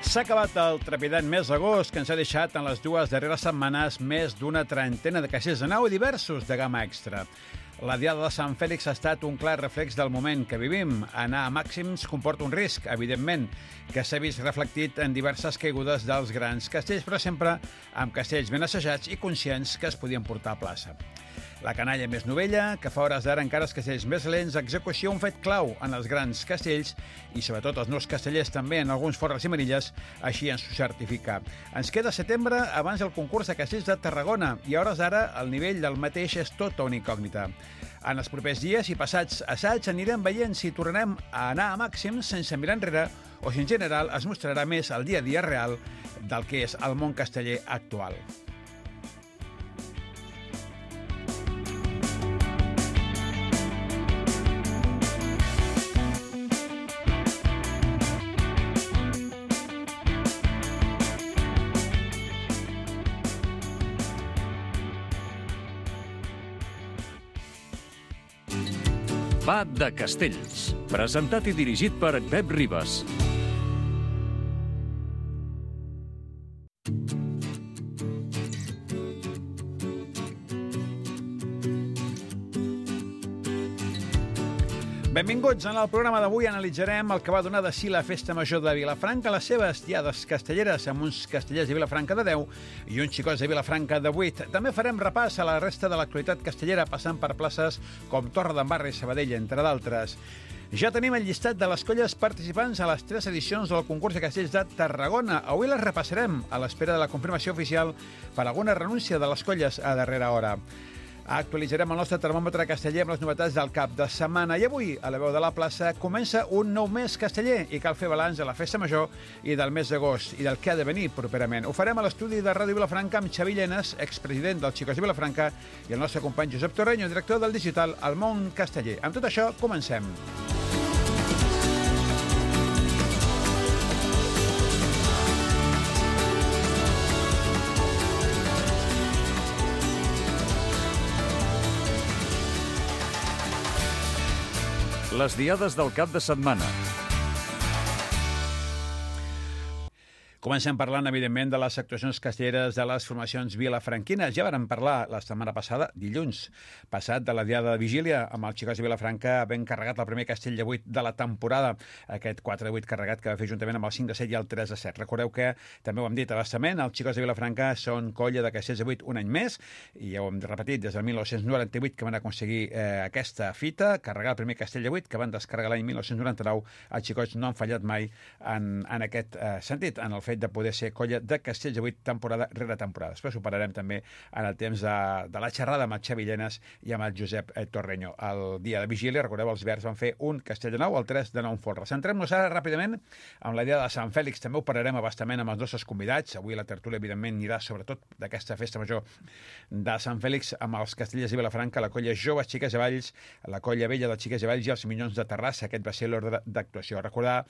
S'ha acabat el trepidant mes d'agost, que ens ha deixat en les dues darreres setmanes més d'una trentena de caixers de nau i diversos de gamma extra. La diada de Sant Fèlix ha estat un clar reflex del moment que vivim. Anar a màxims comporta un risc, evidentment, que s'ha vist reflectit en diverses caigudes dels grans castells, però sempre amb castells ben assajats i conscients que es podien portar a plaça. La canalla més novella, que fa hores d'ara encara els castells més lents, execució un fet clau en els grans castells i sobretot els nous castellers també en alguns forres i manilles, així ens ho certifica. Ens queda setembre abans del concurs de castells de Tarragona i a hores d'ara el nivell del mateix és tota una incògnita. En els propers dies i passats assaigs anirem veient si tornarem a anar a màxims sense mirar enrere o si en general es mostrarà més el dia a dia real del que és el món casteller actual. Va de Castells, presentat i dirigit per Pep Ribas. Benvinguts. En el programa d'avui analitzarem el que va donar de si la Festa Major de Vilafranca, les seves diades castelleres amb uns castellers de Vilafranca de 10 i uns xicots de Vilafranca de 8. També farem repàs a la resta de l'actualitat castellera passant per places com Torredembarra i Sabadell, entre d'altres. Ja tenim el llistat de les colles participants a les 3 edicions del concurs de castells de Tarragona. Avui les repassarem a l'espera de la confirmació oficial per alguna renúncia de les colles a darrera hora. Actualitzarem el nostre termòmetre casteller amb les novetats del cap de setmana. I avui, a la veu de la plaça, comença un nou mes casteller i cal fer balanç de la Festa Major i del mes d'agost i del que ha de venir properament. Ho farem a l'estudi de Ràdio Vilafranca amb Xavi Llenes, expresident dels Xicos de Vilafranca, i el nostre company Josep Torreño, director del digital El Món Casteller. Amb tot això, comencem. Les diades del cap de setmana. Comencem parlant, evidentment, de les actuacions castelleres de les formacions vilafranquines. Ja vàrem parlar la setmana passada, dilluns passat, de la diada de Vigília, amb els Xicots de Vilafranca ben carregat el primer castell de 8 de la temporada, aquest 4 de 8 carregat que va fer juntament amb el 5 de 7 i el 3 de 7. Recordeu que, també ho hem dit a bastament, els Xicots de Vilafranca són colla de castells de 8 un any més, i ja ho hem repetit des del 1998 que van aconseguir aquesta fita, carregar el primer castell de 8, que van descarregar l'any 1999. Els Xicots no han fallat mai en aquest sentit, en el fet de poder ser colla de castells de 8 temporada rere temporada. Després ho parlarem també en el temps de la xerrada amb el Xavi Llenes i amb el Josep Torreño. El dia de Vigília, recordeu, els Verds van fer un castell de 9, el 3 de 9 en folre. Centrem-nos ara ràpidament amb la idea de Sant Fèlix. També ho parlarem abastament amb els nostres convidats. Avui la tertúlia, evidentment, anirà sobretot d'aquesta festa major de Sant Fèlix amb els castellers de Vilafranca, la colla Joves Xiques de Valls, la colla vella dels Xiques de Valls i els Minyons de Terrassa. Aquest va ser l'ordre d'actuació. Recordar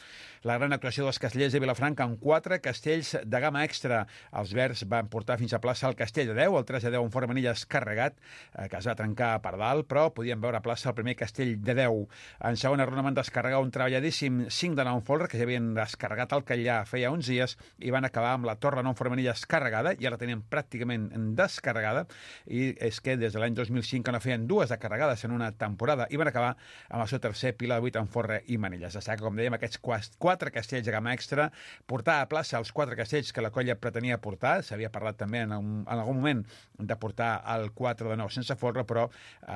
la gran actuació dels castellers de Vilafranca amb 4 castells de gamma extra. Els Verds van portar fins a plaça el castell de 10, el 3 de 10 en forma manilles carregat, que es va trencar per dalt, però podien veure a plaça el primer castell de 10. En segona ronda van descarregar un treballadíssim 5 de 9 en folre, que ja havien descarregat el Catllà feia uns dies, i van acabar amb la torre 9 en forma manilles carregada, i ara la tenien pràcticament descarregada, i és que des de l'any 2005 que no feien dues de carregades en una temporada, i van acabar amb el seu tercer pilar de 8 en forre i manilles. Destaca, com dèiem, aquests 4 castells de gamma extra, portar a plaça els 4 castells que la colla pretenia portar. S'havia parlat també en algun moment de portar el 4 de 9 sense folre, però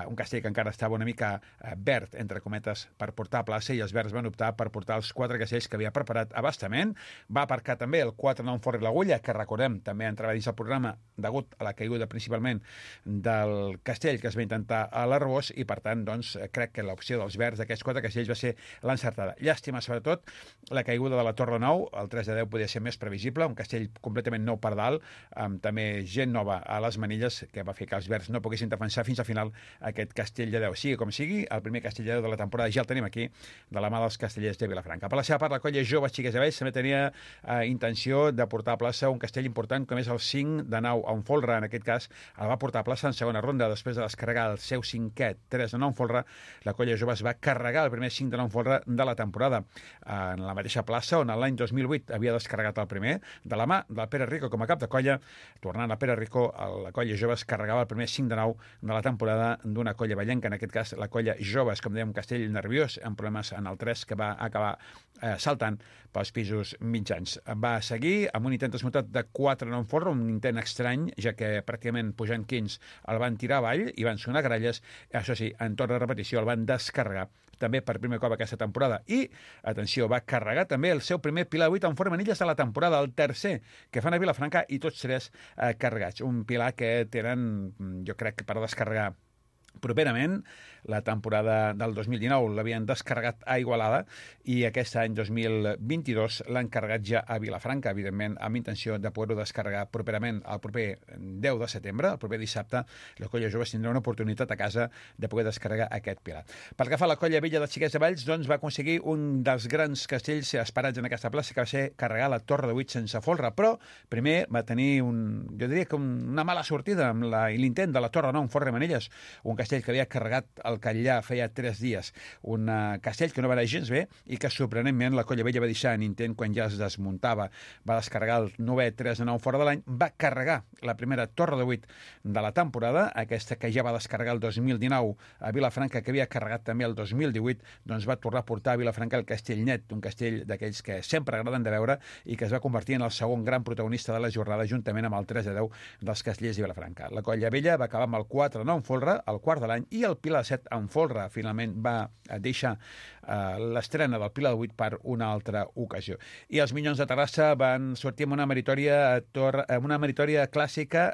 un castell que encara estava una mica verd, entre cometes, per portar a plaça, i els Verds van optar per portar els 4 castells que havia preparat a bastament. Va aparcar també el 4 de 9 en folre i l'agulla, que recordem, també entrava dins el programa degut a la caiguda principalment del castell que es va intentar a l'Arbós, i per tant, doncs, crec que l'opció dels Verds d'aquests 4 castells va ser l'encertada. Llàstima, sobretot, la caiguda de la Torre 9, el 3 de 10 podia ser més previsible, un castell completament nou per dalt, amb també gent nova a les manilles, que va fer que els Verds no poguessin defensar fins al final aquest castell de 10. Sigui com sigui, el primer castell de 10 de la temporada ja el tenim aquí, de la mà dels castellers de Vilafranca. Per la seva part, la colla Joves Xiques de Valls també tenia intenció de portar a plaça un castell important com és el 5 de 9 en folre. En aquest cas, el va portar a plaça en segona ronda, després de descarregar el seu 5è 3 de 9 en folre. La colla Joves va carregar el primer 5 de 9 en folre de la temporada en la mateixa plaça on l'any 2008 havia descarregat el primer, de la mà del Pere Rico com a cap de colla. Tornant a Pere Rico, la colla Joves carregava el primer 5 de 9 de la temporada d'una colla ballenca, en aquest cas la colla Joves, com dèiem, un castell nerviós, amb problemes en el 3, que va acabar saltant pels pisos mitjans. Va seguir amb un intent desmuntat de 4 en un forro, un intent estrany, ja que pràcticament pujant 15 el van tirar avall i van sonar gralles. Això sí, en torn de repetició el van descarregar també per primer cop aquesta temporada. I, atenció, va carregar també el seu primer pilar 8 en forma manilles de la temporada, el tercer que fan a Vilafranca, i tots tres carregats. Un pilar que tenen, jo crec, per descarregar properament. La temporada del 2019 l'havien descarregat a Igualada i aquest any 2022 l'han carregat ja a Vilafranca, evidentment amb intenció de poder-ho descarregar properament el proper 10 de setembre, el proper dissabte. La colla Joves tindrà una oportunitat a casa de poder descarregar aquest pilar. Pel que fa a la colla vella de Xiquets de Valls, doncs va aconseguir un dels grans castells esperats en aquesta plaça, que va ser carregar la Torre de 8 sense folre, però primer va tenir jo diria que una mala sortida amb l'intent de la Torre 9 en Forre Manilles, un castell que havia carregat el Catllà feia 3 dies, un castell que no va anar gens bé i que sorprenentment la colla vella va deixar en intent quan ja es desmuntava. Va descarregar el 9è 3 de 9 fora de l'any, va carregar la primera Torre de 8 de la temporada, aquesta que ja va descarregar el 2019 a Vilafranca, que havia carregat també el 2018, doncs va tornar a portar a Vilafranca el Castell Net, un castell d'aquells que sempre agraden de veure i que es va convertir en el segon gran protagonista de la jornada, juntament amb el 3 de 10 dels castellers de Vilafranca. La colla vella va acabar amb el 4 de 9 en folre, el quart de l'any, i el Pilar 7 en folre. Finalment va deixar l'estrena del Pilar 8 per una altra ocasió. I els Minyons de Terrassa van sortir amb una meritòria clàssica,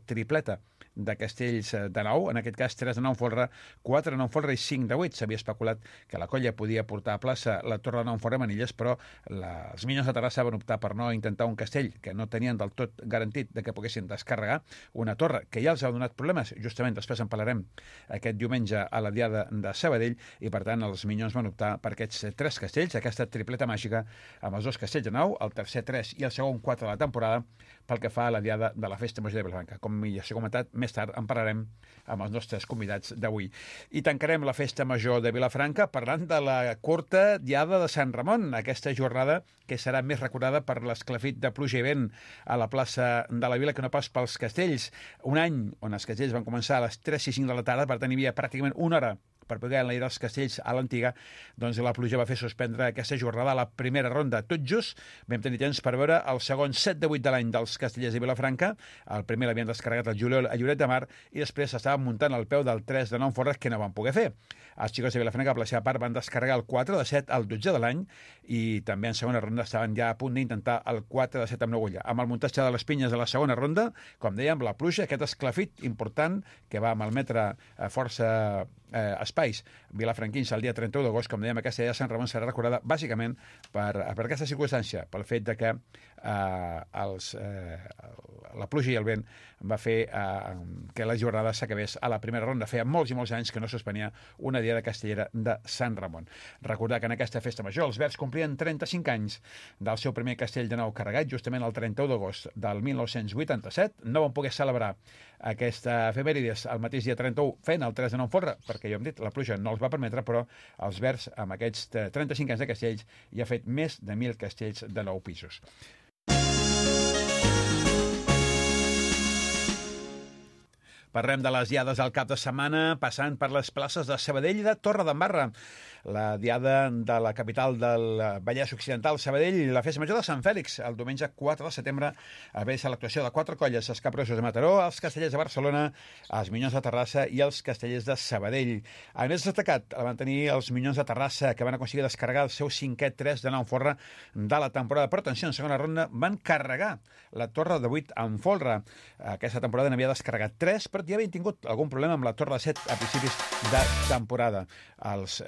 tripleta de castells de 9, en aquest cas 3 de 9 en folre, 4 de 9 en folre i 5 de 8. S'havia especulat que la colla podia portar a plaça la Torre de 9 en Forre Manilles, però els Minyons de Terrassa van optar per no intentar un castell que no tenien del tot garantit de que poguessin descarregar, una torre que ja els ha donat problemes, justament després en parlarem aquest diumenge a la Diada de Sabadell, i per tant els Minyons van optar per aquests 3 castells, aquesta tripleta màgica amb els 2 castells de 9, el tercer 3 i el segon 4 de la temporada, pel que fa a la Diada de la Festa Major de Vilafranca. Com ja s'ha comentat, més tard en parlarem amb els nostres convidats d'avui. I tancarem la Festa Major de Vilafranca parlant de la curta Diada de Sant Ramon, aquesta jornada que serà més recordada per l'esclafit de pluja i vent a la plaça de la Vila que no pas pels castells. Un any on els castells van començar a les 3 i 5 de la tarda, per tant hi havia pràcticament una hora per poder enlairar els castells a l'antiga, doncs la pluja va fer suspendre aquesta jornada a la primera ronda. Tot just vam tenir temps per veure el segon 7 de 8 de l'any dels castellers de Vilafranca. El primer l'havien descarregat el juliol a Lloret de Mar i després s'estaven muntant al peu del 3 de 9 forres que no van poder fer. Els xicots de Vilafranca, per la seva part, van descarregar el 4 de 7 al 12 de l'any i també en segona ronda estaven ja a punt d'intentar el 4 de 7 amb Nogulla. Amb el muntatge de les pinyes de la segona ronda, com dèiem, la pluja, aquest esclafit important que va malmetre força espais vilafranquins el dia 31 d'agost, com dèiem, aquesta Diada de Sant Ramon serà recordada bàsicament per aquesta circumstància, pel fet de que la pluja i el vent va fer que la jornada s'acabés a la primera ronda. Feia molts i molts anys que no suspenia una Diada castellera de Sant Ramon. Recordar que en aquesta festa major els Verds complien 35 anys del seu primer castell de 9 carregat, justament el 31 d'agost del 1987. No van poder celebrar aquesta efemèrides el mateix dia 31 fent el 3 de 9 folre, perquè ja hem dit, la pluja no els va permetre, però els Verds, amb aquests 35 anys de castells, ja ha fet més de 1.000 castells de 9 pisos. Parlem de les diades al cap de setmana, passant per les places de Sabadell i de Torredembarra. La diada de la capital del Vallès Occidental, Sabadell, la festa major de Sant Fèlix, el diumenge 4 de setembre, a veure l'actuació de 4 colles, els Capgrossos de Mataró, els Castellers de Barcelona, els Minyons de Terrassa i els Castellers de Sabadell. A més destacat, van tenir els Minyons de Terrassa, que van aconseguir descarregar el seu 5è 3 de 9 forra de la temporada. Però atenció, en segona ronda van carregar la Torre de 8 en folre. Aquesta temporada n'havia descarregat 3, però ja havien tingut algun problema amb la Torre de 7 a principis de temporada. Els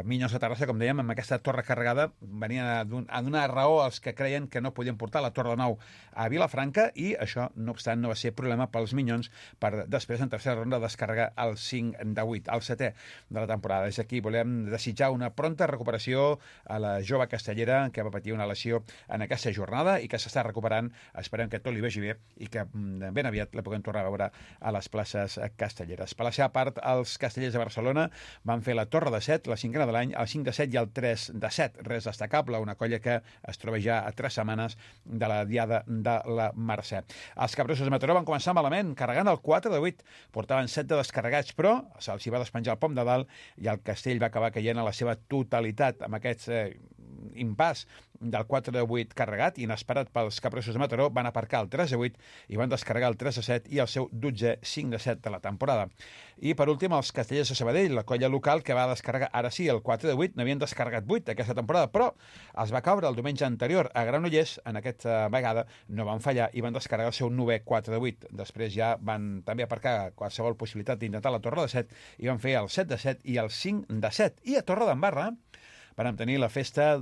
Minyons de Terrassa, com dèiem, amb aquesta torre carregada venien a donar raó als que creien que no podien portar la Torre de 9 a Vilafranca, i això, no obstant, no va ser problema pels Minyons per després, en tercera ronda, descarregar el 5 de 8, el 7è de la temporada. Des d'aquí volem desitjar una pronta recuperació a la jove castellera que va patir una lesió en aquesta jornada i que s'està recuperant. Esperem que tot li vagi bé i que ben aviat la puguem tornar a veure a les places castelleres. Per la seva part, els Castellers de Barcelona van fer la Torre de 7, la 5a de l'any, el 5 de 7 i el 3 de 7. Res destacable, una colla que es troba ja a 3 setmanes de la diada de la Mercè. Els capgrossos de Mataró van començar malament, carregant el 4 de 8. Portaven 7 de descarregats, però se'ls va despenjar el pom de dalt i el castell va acabar caient a la seva totalitat amb aquests impàs del 4 de 8 carregat, inesperat pels capgrossos de Mataró, van aparcar el 3 de 8 i van descarregar el 3 de 7 i el seu 12è 5 de 7 de la temporada. I per últim, els castellers de Sabadell, la colla local que va descarregar, ara sí, el 4 de 8, n'havien descarregat 8 aquesta temporada, però els va caure el diumenge anterior a Granollers, en aquesta vegada no van fallar i van descarregar el seu 9è 4 de 8. Després ja van també aparcar qualsevol possibilitat d'intentar la Torre de 7 i van fer el 7 de 7 i el 5 de 7. I a Torredembarra vam tenir la festa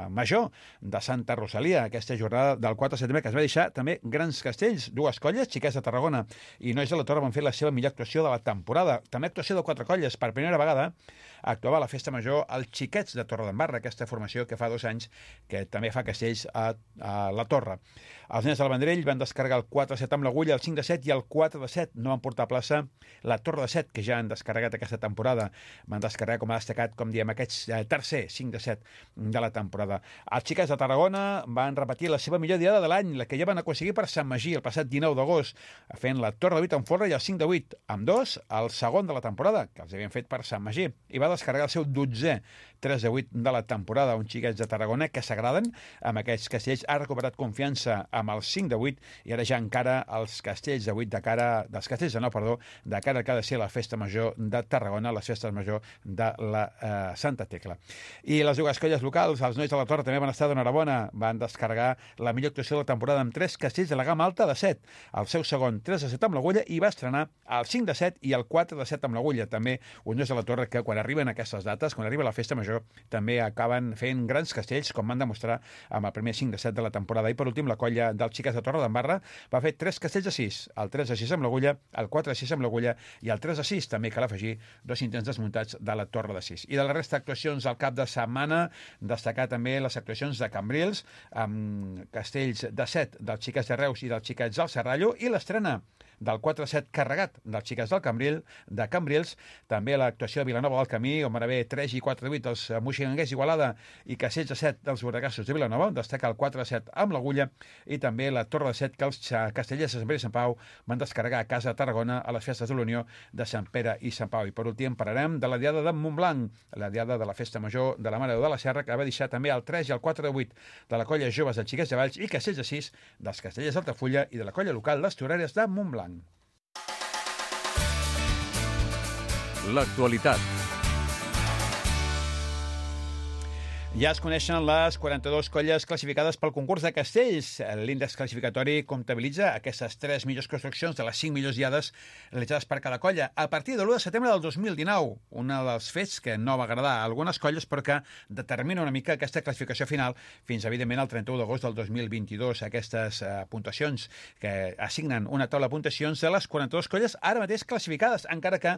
major de Santa Rosalia, aquesta jornada del 4 de setembre, que es va deixar també grans castells, dues colles, Xiquets de Tarragona i Nois de la Torre, van fer la seva millor actuació de la temporada. També actuació de 4 colles. Per primera vegada actuava a la festa major els Xiquets de Torredembarra, aquesta formació que fa 2 anys que també fa castells a la Torre. Els nens del Vendrell van descarregar el 4 de 7 amb l'agulla, el 5 de 7 i el 4 de 7. No van portar a plaça la Torre de 7, que ja han descarregat aquesta temporada. Van descarregar, com ha destacat, com diem, aquests tercer 5 de 7 de la temporada. Els Xiquets de Tarragona van repetir la seva millor diada de l'any, la que ja van aconseguir per Sant Magí el passat 19 d'agost, fent la Torre de 8 amb folre i el 5 de 8, amb 2, el segon de la temporada, que els havien fet per Sant Magí, i va descarregar el seu 12è 3 de 8 de la temporada. Uns Xiquets de Tarragona que s'agraden amb aquests castells. Ha recuperat confiança amb el 5 de 8 i ara ja encara els castells de 8 dels castells de 9, perdó, de cara al que ha de ser la festa major de Tarragona, les festes major de la Santa Tecla. I les dues colles locals, els Nois de la Torre, també van estar d'enhorabona. Van descarregar la millor actuació de la temporada amb 3 castells de la gamma alta de 7. El seu segon 3 de 7 amb l'agulla i va estrenar el 5 de 7 i el 4 de 7 amb l'agulla. També uns Nois de la Torre que quan arriben aquestes dates, quan arriba la festa major, també acaben fent grans castells, com van demostrar amb el primer 5 de 7 de la temporada. I per últim, la colla dels Xiquets de Torredembarra va fer 3 castells de 6, el 3 de 6 amb l'agulla, el 4 de 6 amb l'agulla i el 3 de 6, també cal afegir 2 intents desmuntats de la Torre de 6. I de la resta d'actuacions al cap de setmana, destacar també les actuacions de Cambrils, amb castells de 7 dels Xiquets de Reus i dels Xiquets del Serrallo, i l'estrena del 4-7 carregat dels Xiquets de Cambrils, també l'actuació de Vilanova del Camí, on van haver 3 i 4 de 8 dels Moixiganders d'Igualada i castells de 7 dels Borregassos de Vilanova, destaca el 4 de 7 amb l'agulla, i també la Torre de 7 que els castellers de Sant Pere i Sant Pau van descarregar a casa de Tarragona a les festes de l'Unió de Sant Pere i Sant Pau. I per últim parlarem de la diada de Montblanc, la diada de la festa major de la Mare de la Serra, que va deixar també el 3 i el 4 de 8 de la colla Joves de Xiquets de Valls i castells de 6 dels castellers d'Altafulla i de la colla local Les Torreres de Montblanc. L'actualitat. Ja es coneixen les 42 colles classificades pel concurs de castells. L'índex classificatori comptabilitza aquestes 3 millors construccions de les 5 millors diades realitzades per cada colla a partir de l'1 de setembre del 2019. Un dels fets que no va agradar a algunes colles, però que determina una mica aquesta classificació final fins, evidentment, al 31 d'agost del 2022. Aquestes puntuacions que assignen una taula de puntuacions de les 42 colles ara mateix classificades, encara que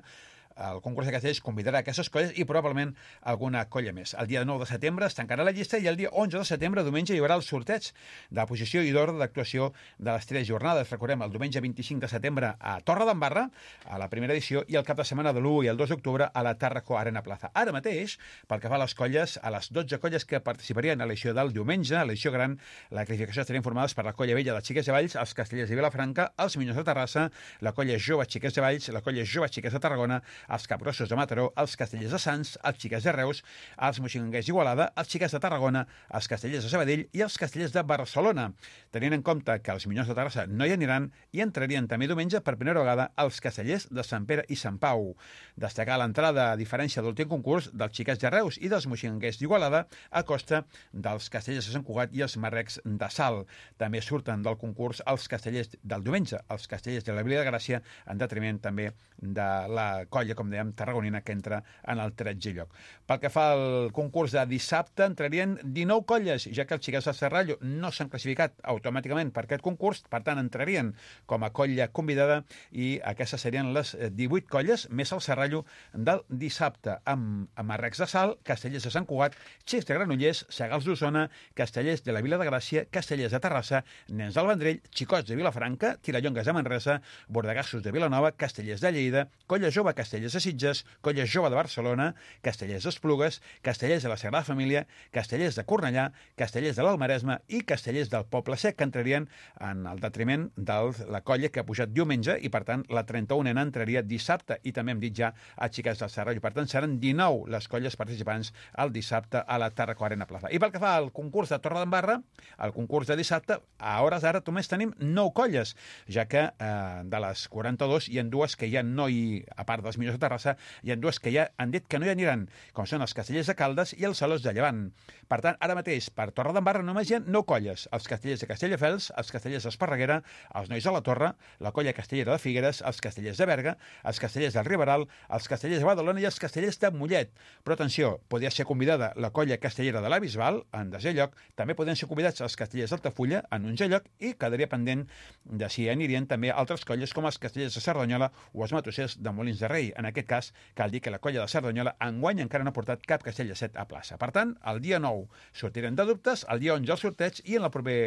el concurs de castells convidarà aquestes colles i probablement alguna colla més. El dia 9 de setembre es tancarà la llista i el dia 11 de setembre, diumenge, hi haurà el sorteig de posició i d'ordre d'actuació de les 3 jornades. Recordem, el diumenge 25 de setembre a Torredembarra, a la primera edició, i el cap de setmana de l'1 i el 2 d'octubre a la Tàrraco Arena Plaza. Ara mateix, pel que fa a les colles, a les 12 colles que participarien a l'edició del diumenge, a l'edició gran, la classificació estarien formades per la colla vella de Xiquets de Valls, els castellers de Vilafranca, els Minyons de Terrassa, la colla jove Xiquets de Valls, la colla jove Xiquets de Tarragona, els capgrossos de Mataró, els castellers de Sants, els Xiquets de Reus, els Moixiganders d'Igualada, els Xiquets de Tarragona, els castellers de Sabadell i els castellers de Barcelona. Tenint en compte que els Minyons de Terrassa no hi aniran, i entrarien també diumenge per primera vegada els castellers de Sant Pere i Sant Pau. Destacar l'entrada, a diferència de l'últim concurs, dels Xiquets de Reus i dels Moixiganders d'Igualada a costa dels castellers de Sant Cugat i els Marrecs de Salt. També surten del concurs els castellers del diumenge, els castellers de la Vila de Gràcia, en detriment també de la colla, com dèiem, tarragonina, que entra en el 13è lloc. Pel que fa al concurs de dissabte, entrarien 19 colles, ja que els Xiquets del Serrallo no s'han classificat automàticament per aquest concurs, per tant entrarien com a colla convidada, i aquestes serien les 18 colles, més el Serrallo del dissabte, amb Marrecs de Salt, castellers de Sant Cugat, Xics de Granollers, Segals d'Osona, castellers de la Vila de Gràcia, castellers de Terrassa, Nens del Vendrell, Xicots de Vilafranca, Tirallongues de Manresa, Bordegassos de Vilanova, castellers de Lleida, colla jove castellers Castellers de Sitges, Colla Jove de Barcelona, Castellers d'Esplugues, Castellers de la Sagrada Família, Castellers de Cornellà, Castellers de l'Almaresme i Castellers del Poble Sec, que entrarien en el detriment de la colla que ha pujat diumenge i, per tant, la 31ena entraria dissabte. I també hem dit ja a Xiques del Serrallo. Per tant, seran 19 les colles participants el dissabte a la Tarraco Arena Plaza. I pel que fa al concurs de Torredembarra, el concurs de dissabte, a hores d'ara només tenim 9 colles, ja que de les 42 hi ha dues que ja no hi, a part dels millors de Terrassa, hi ha dues que ja han dit que no hi aniran, com són els Castellers de Caldes i els Salós de Llevant. Per tant, ara mateix, per Torredembarra només hi ha 9 colles, els Castellers de Castelldefels, els Castellers d'Esparreguera, els Nois de la Torre, la colla castellera de Figueres, els Castellers de Berga, els Castellers del Riberal, els Castellers de Badalona i els Castellers de Mollet. Però atenció, podria ser convidada la colla castellera de la Bisbal, en desè lloc, també podien ser convidats els Castellers d'Altafulla, en 11è lloc, i quedaria pendent de si anirien també altres colles com els Castellers de Cerdanyola o els Matossers de Molins de Rei. En aquest cas, cal dir que la colla de Cerdanyola enguany encara no ha portat cap castell de 7 a plaça. Per tant, el dia 9 sortirem de dubtes, el dia 11 el sorteig i en el proper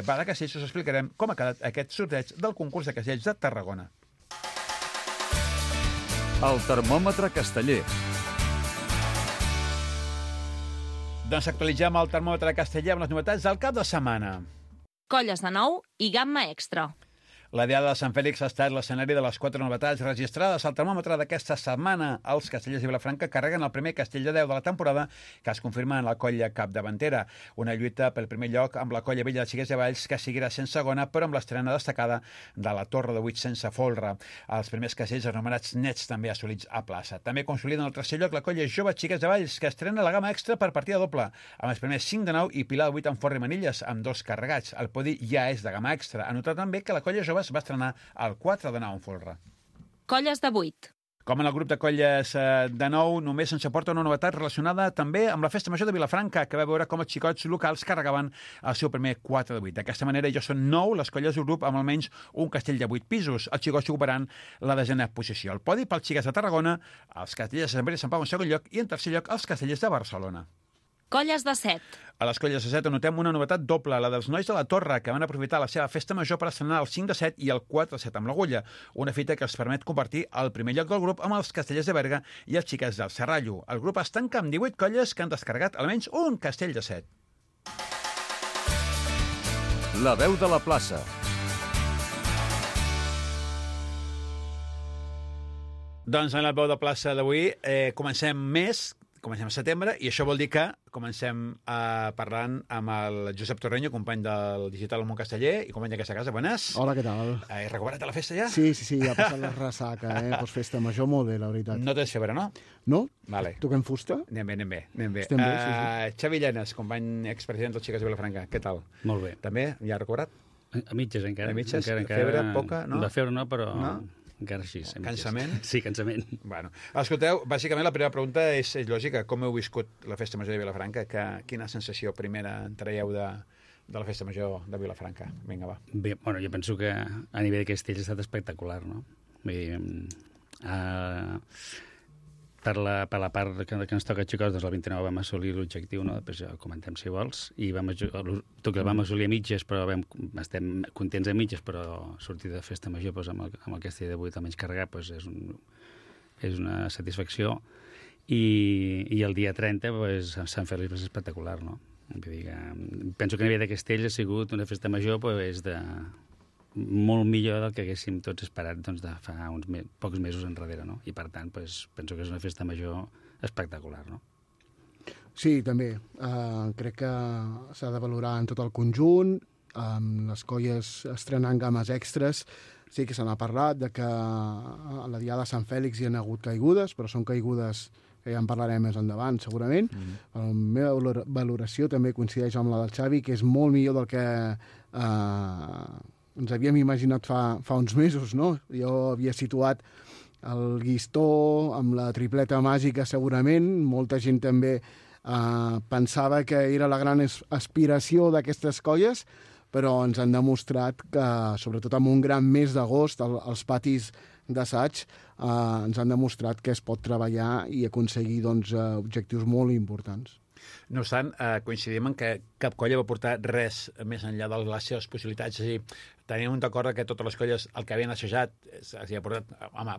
Bar de Castells us explicarem com ha quedat aquest sorteig del concurs de castells de Tarragona. El termòmetre casteller. Doncs actualitzem el termòmetre casteller amb les novetats del cap de setmana. Colles de nou i gamma extra. La Diada de Sant Fèlix ha estat l'escenari de les 4 novetats registrades al termòmetre d'aquesta setmana. Els Castellers de Vilafranca carreguen el primer castell de 10 de la temporada, que es confirma en la colla capdavantera. Una lluita pel primer lloc amb la colla vella de Xiques de Valls, que seguirà sent segona, però amb l'estrena destacada de la Torre de 8 sense folre. Els primers castells anomenats nets també assolits a plaça. També consoliden el tercer lloc la colla jove Xiques de Valls, que estrena la gamma extra per partida doble, amb els primers 5 de 9 i Pilar de 8 amb Forri Manilles, amb 2 carregats. El podi ja és de gamma extra. A notar també que la colla jove es va estrenar el 4 de 9 en folre. Colles de 8. Com en el grup de colles de 9, només ens aporta una novetat relacionada també amb la Festa Major de Vilafranca, que va veure com els xicots locals carregaven el seu primer 4 de 8. D'aquesta manera ja són 9 les colles del grup amb almenys un castell de 8 pisos, els xicots ocuparan la 10a posició. El podi pels Xiques de Tarragona, els Castellers de Sant Pere i Sant Pau en segon lloc i en tercer lloc els Castellers de Barcelona. Colles de 7. A les colles de 7 anotem una novetat doble, la dels Nois de la Torre, que van aprofitar la seva festa major per estrenar el 5 de 7 i el 4 de 7 amb l'agulla, una fita que els permet compartir el primer lloc del grup amb els Castellers de Berga i els Xiques del Serrallo. El grup es tanca amb 18 colles que han descarregat almenys un castell de 7. La veu de la plaça. Doncs en la veu de plaça d'avui comencem a setembre i això vol dir que comencem parlant amb el Josep Torreño, company del Digital al Món Casteller i company d'aquesta casa. Buenas. Hola, què tal? He recuperat de la festa ja? Sí, ha passat la ressaca, postfesta major, molt bé, la veritat. No tens febre, no? No? Vale. Toquem fusta? Anem bé. Estem bé, sí. Xavi Llenes, company expresident dels Xiques de Vilafranca, què tal? Molt bé. També? Ja ha recuperat? A mitges, encara. A mitges? Encara, Febre, poca, no? De febre no, però... No? Encara així. Cansament? Sí, cansament. Bueno, escolteu, bàsicament la primera pregunta és lògica. Com heu viscut la Festa Major de Vilafranca? Quina sensació primera en traieu de la Festa Major de Vilafranca? Vinga, va. Bé, bueno, jo penso que a nivell de castells ha estat espectacular, no? Vull dir, per la part que ens toca a Xicots, doncs el 29 vam assolir l'objectiu, no? Després ja ho comentem si vols, i vam assolir a mitges, però estem contents a mitges, però sortir de festa major doncs, amb el castell de 8 almenys carregat doncs, és una satisfacció, i el dia 30 doncs, Sant Fèlix és espectacular, no? Vull dir que, penso que a nivell de castells ha sigut una festa major doncs, molt millor del que haguéssim tots esperat doncs, de fa uns pocs mesos enrere, no? I per tant, doncs, penso que és una festa major espectacular, no? Sí, també. Crec que s'ha de valorar en tot el conjunt, les colles estrenant games extres. Sí que se n'ha parlat de que a la Diada de Sant Fèlix hi ha hagut caigudes, però són caigudes que ja en parlarem més endavant, segurament. La meva valoració també coincideix amb la del Xavi, que és molt millor del que ens havíem imaginat fa uns mesos, no? Jo havia situat el Guistó amb la tripleta màgica, segurament. Molta gent també pensava que era la gran aspiració d'aquestes colles, però ens han demostrat que, sobretot amb un gran mes d'agost, els patis d'assaig, ens han demostrat que es pot treballar i aconseguir doncs, objectius molt importants. No obstant, coincidim en que cap colla va portar res més enllà de les seves possibilitats. És a dir, tenim un acord que totes les colles, el que havien assajat, s'hi ha portat... Home,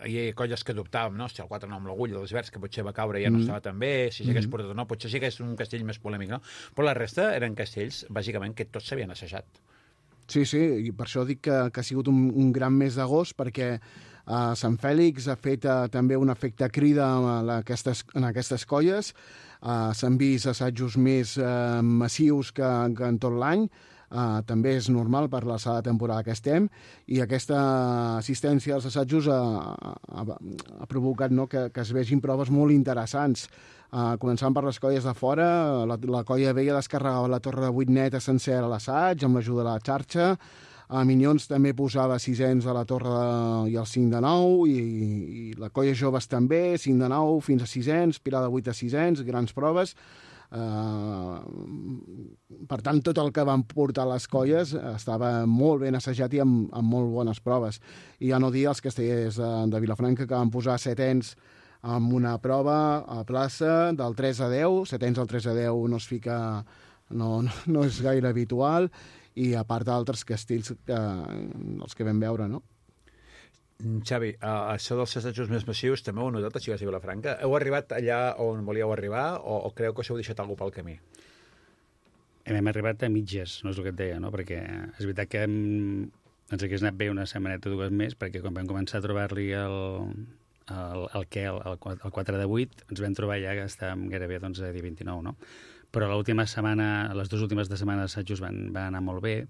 hi ha colles que dubtàvem, no? Hòstia, el 4-9 amb l'Agulla, els Verds, que potser va caure i ja no estava tan bé, si s'hagués portat o no, potser sí que és un castell més polèmic, no? Però la resta eren castells, bàsicament, que tots s'havien assajat. Sí, i per això dic que ha sigut un gran mes d'agost, perquè Sant Fèlix ha fet també un efecte crida en aquestes colles. S'han vist assajos més massius que en tot l'any. També és normal per l'alçada de temporada que estem, i aquesta assistència als assajos ha provocat, no, que es vegin proves molt interessants. Començant per les colles de fora, la colla vella descarregava la torre de 8 neta sencera a l'assaig, amb l'ajuda de la xarxa. Minyons també posava 600 a la torre i el 5 de 9, i la colla joves també, 5 de 9 fins a 600, pilar de 8 a 600, grans proves. Per tant, tot el que van portar les colles estava molt ben assajat i amb molt bones proves. I ja no dir els castellers de Vilafranca, que van posar setens amb una prova a plaça del 3 a 10, setens al 3 a 10 no es fica, no és gaire habitual, i a part d'altres castells els que vam veure, no? Xavi, això dels assajos més massius també ho heu notat a Xiques i Vilafranca? Heu arribat allà on volíeu arribar o creu que us heu deixat alguna pel camí? Hem arribat a mitges, no és el que et deia, no? Perquè és veritat que ens hagués anat bé una setmaneta o dues més, perquè quan vam començar a trobar-li el 4 de 8, ens vam trobar ja que estàvem gairebé a dia 29, no? Però l'última setmana, les dues últimes de setmana d'assajos van anar molt bé.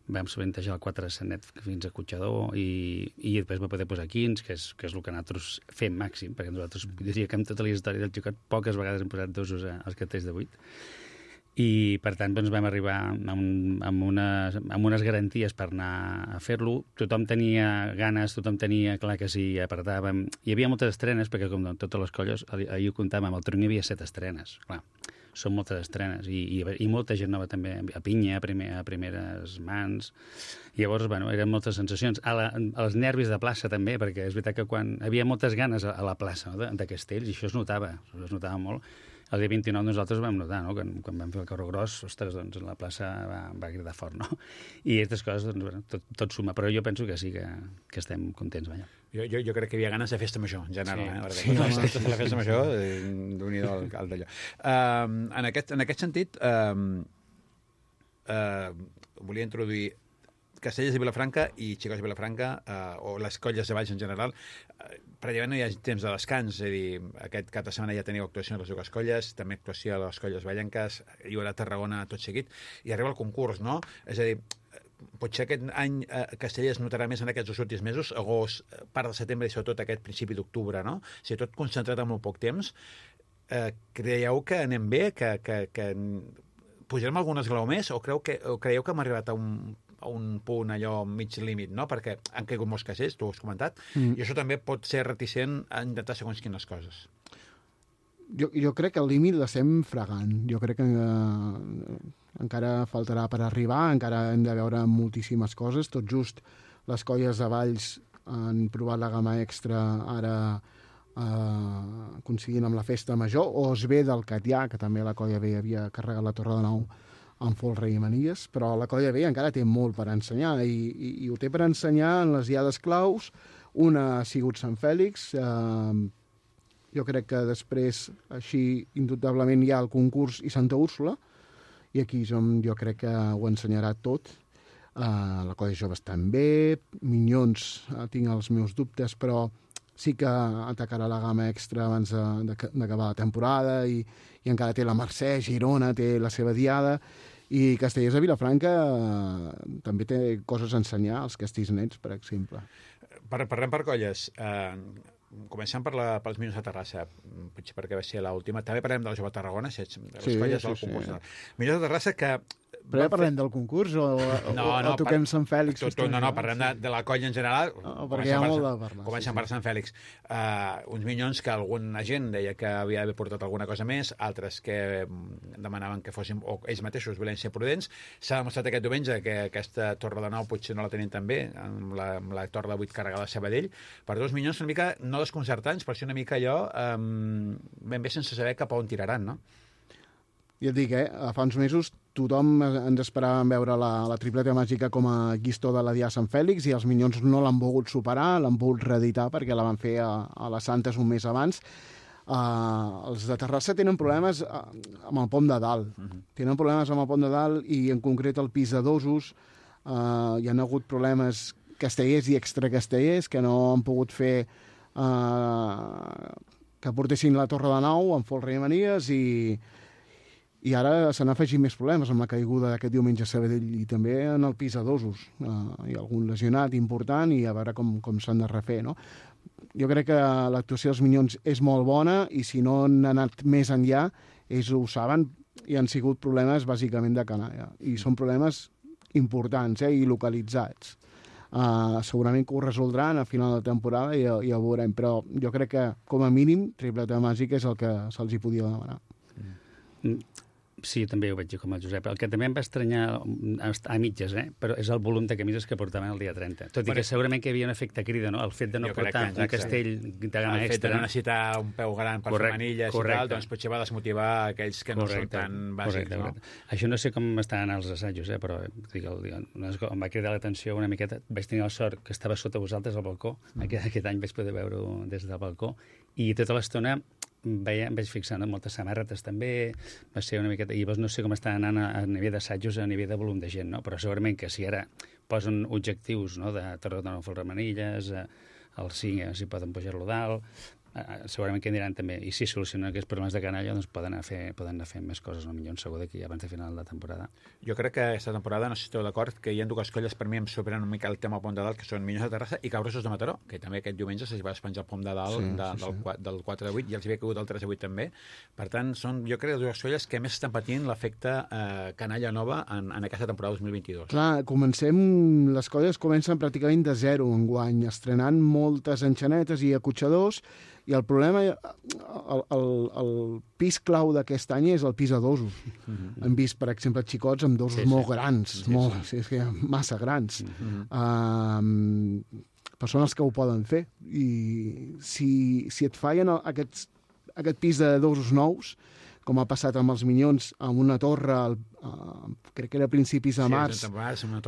Vam solentejar el 4 de Sanet fins a Cotxador i després va poder posar 15, que és el que nosaltres fem màxim, perquè nosaltres diria que amb tota la història del xocat poques vegades hem posat dosos als castells de 8. I, per tant, doncs, vam arribar amb unes garanties per anar a fer-lo. Tothom tenia ganes, tothom tenia clar que sí, apretàvem. Hi havia moltes estrenes, perquè com totes les colles, ahir ho comptàvem, al Tronc hi havia 7 estrenes. Clar, són moltes estrenes, i molta gent nova també, a pinya, a primeres mans. Llavors, bueno, eren moltes sensacions. Els nervis de plaça també, perquè és veritat que quan havia moltes ganes a la plaça, no, de castells, i això es notava molt. El dia 29 nosaltres ho vam notar, no? Quan vam fer el carro gros, ostres, doncs la plaça va cridar fort, no? I aquestes coses, doncs, bueno, tot suma, però jo penso que sí que estem contents, vaja. Jo crec que hi havia ganes de festa major, en general. Sí. La festa major, d'un-hi-do al d'allò. En aquest sentit, volia introduir Castellers de Vilafranca i Xicots de Vilafranca, o les colles de Valls en general, pràcticament no hi ha temps de descans, és a dir, aquest cap de setmana ja teniu actuació a les dues colles, també actuació a les colles vallenques, hi haurà Tarragona tot seguit, i arriba el concurs, no? És a dir, potser aquest any Castellers notarà més en aquests dos últims mesos, agost, part de setembre i sobretot aquest principi d'octubre, no? O sigui, tot concentrat en molt poc temps. Creieu que anem bé, que pujarem algun esglaó més, o creieu que hem arribat a un punt allò mig límit, no? Perquè han caigut molts castells, tu ho has comentat, i això també pot ser reticent a intentar segons quines coses. Jo crec que el límit l'estem fregant. Jo crec que encara faltarà per arribar, encara hem de veure moltíssimes coses. Tot just les colles de Valls han provat la gamma extra ara coincidint amb la festa major, o es ve del Catllà, que també la colla B havia carregat la Torre de Nou amb folre i manies, però la colla B encara té molt per ensenyar, i ho té per ensenyar en les diades claus. Una ha sigut Sant Fèlix, jo crec que després, així, indubtablement hi ha el concurs i Santa Úrsula, i aquí jo crec que ho ensenyarà tot. La colla joves també, Minyons, tinc els meus dubtes, però sí que atacarà la gamma extra abans d'acabar la temporada, i encara té la Mercè, Girona té la seva diada, i Castellers de Vilafranca també té coses a ensenyar, els castells nets, per exemple. Parlem per colles. Comencem pels Minyons de Terrassa, potser perquè va ser l'última. També parlem de la Jove Tarragona, les colles del concurs. Minyons de Terrassa que... Però ja parlem del concurs o toquem Sant Fèlix? No, parlem de la colla en general. Perquè hi ha molt de parlar. Comencem per Sant Fèlix. Uns Minyons que alguna gent deia que havia d'haver portat alguna cosa més, altres que demanaven que fossin, o ells mateixos volien ser prudents. S'ha demostrat aquest diumenge que aquesta Torre de 9 potser no la tenien tan bé, amb la Torre de 8 carregada a Sabadell. Per dos Minyons una mica, no desconcertants, però sí una mica allò ben bé sense saber cap a on tiraran, no? Ja et dic, fa uns mesos tothom ens esperàvem veure la tripleta màgica com a Guistó de la Dia Sant Fèlix i els Minyons no l'han volgut superar, l'han volgut reeditar perquè la van fer a les Santes un mes abans. Els de Terrassa tenen problemes amb el pom de dalt. Tenen problemes amb el pom de dalt i en concret el pis de Dosos. Hi ha hagut problemes castellers i extracastellers que no han pogut fer que portessin la Torre de Nou amb Folre i Manies i ara s'han afegit més problemes amb la caiguda d'aquest diumenge a Sabadell i també en el pis a Dosos. Hi ha algun lesionat important i a veure com s'han de refer, no? Jo crec que l'actuació dels Minyons és molt bona i si no han anat més enllà, ells ho saben i han sigut problemes bàsicament de canalla. I són problemes importants i localitzats. Segurament que ho resoldran a final de temporada i ja ho veurem, però jo crec que com a mínim tripleta màgica és el que se'ls hi podia demanar. Sí, també ho veig com el Josep. El que també em va estranyar a mitges, però és el volum de camises que portaven el dia 30. Tot i que segurament que hi havia un efecte crida, no? El fet de no portar un castell de gamma extra. El fet de no necessitar un peu gran per fer manilles i tal, doncs potser va desmotivar aquells que no són tan bàsics. No? Això no sé com estaran els assajos, però em va cridar l'atenció una miqueta. Vaig tenir la sort que estava sota vosaltres al balcó. Aquest any vaig poder veure-ho des del balcó. I tota l'estona em vaig fixant en moltes samarretes també, va ser una miqueta... I llavors no sé com està anant a nivell d'assajos, a nivell de volum de gent, no? Però segurament que si ara posen objectius, no?, de Torre de Nou Folremanilles, el 5, si poden pujar-lo dalt, segurament que aniran també. I si solucionen aquests problemes de canalla, doncs poden anar fent més coses, no? Millor segur d'aquí abans de final de temporada. Jo crec que aquesta temporada, no sé si esteu d'acord, que hi ha dues colles per mi em superen una mica el tema pom de dalt, que són Minyons de Terrassa i Cabrosos de Mataró, que també aquest diumenge s'hi va despenjar el pom de dalt del 4 de 8 i els hi havia caigut el 3 de 8 també. Per tant, són, jo crec, dues colles que més estan patint l'efecte canalla nova en aquesta temporada 2022. Clar, les colles comencen pràcticament de zero enguany, estrenant moltes enxanetes i acotxadors. I el problema, el pis clau d'aquest any és el pis a dosos. Hem vist, per exemple, xicots amb dosos molt grans, massa grans. Persones que ho poden fer. I si et fallen aquest pis de dosos nous, com ha passat amb els Minyons, amb una torre, crec que era a principis de març,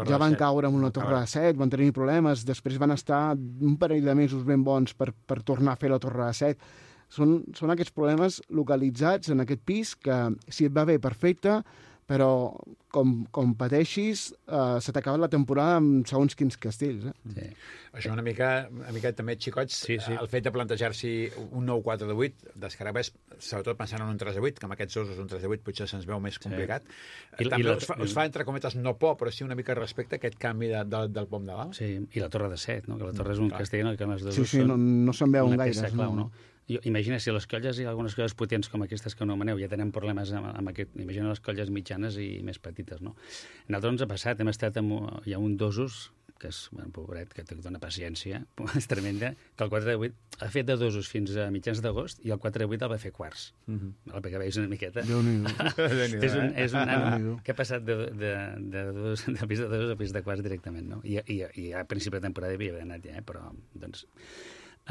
ja van caure en una torre de 7, van tenir problemes, després van estar un parell de mesos ben bons per tornar a fer la torre de 7. Són aquests problemes localitzats en aquest pis que, si et va bé, perfecte, però com pateixis, se t'acaba la temporada amb segons quins castells. Sí. Això una mica també, xicots, el fet de plantejar-s'hi un nou 4 de 8, descarregues, sobretot pensant en un 3 de 8, que amb aquests dosos un 3 de 8 potser se'ns veu més complicat. També us fa, entre cometes, no por, però sí una mica respecte a aquest canvi del pom de dalt. Sí, i la torre de 7, no? Que la torre és un castell en el que els dosos són no se'n veuen una gaire. peça clau, no? Imagina, si les colles i algunes colles potents com aquestes que anomeneu ja tenen problemes amb aquest... Imagina les colles mitjanes i més petites, no? A nosaltres ens ha passat, hem estat hi ha un dosos, que és, pobret, que té dona paciència, és tremenda, que el 4 de 8 ha fet de dosos fins a mitjans d'agost i el 4 de 8 el va fer quarts. Perquè veus una miqueta. És un nano que ha passat de pis de dosos a pis de quarts directament, no? I a principi de temporada havia anat ja, però, doncs...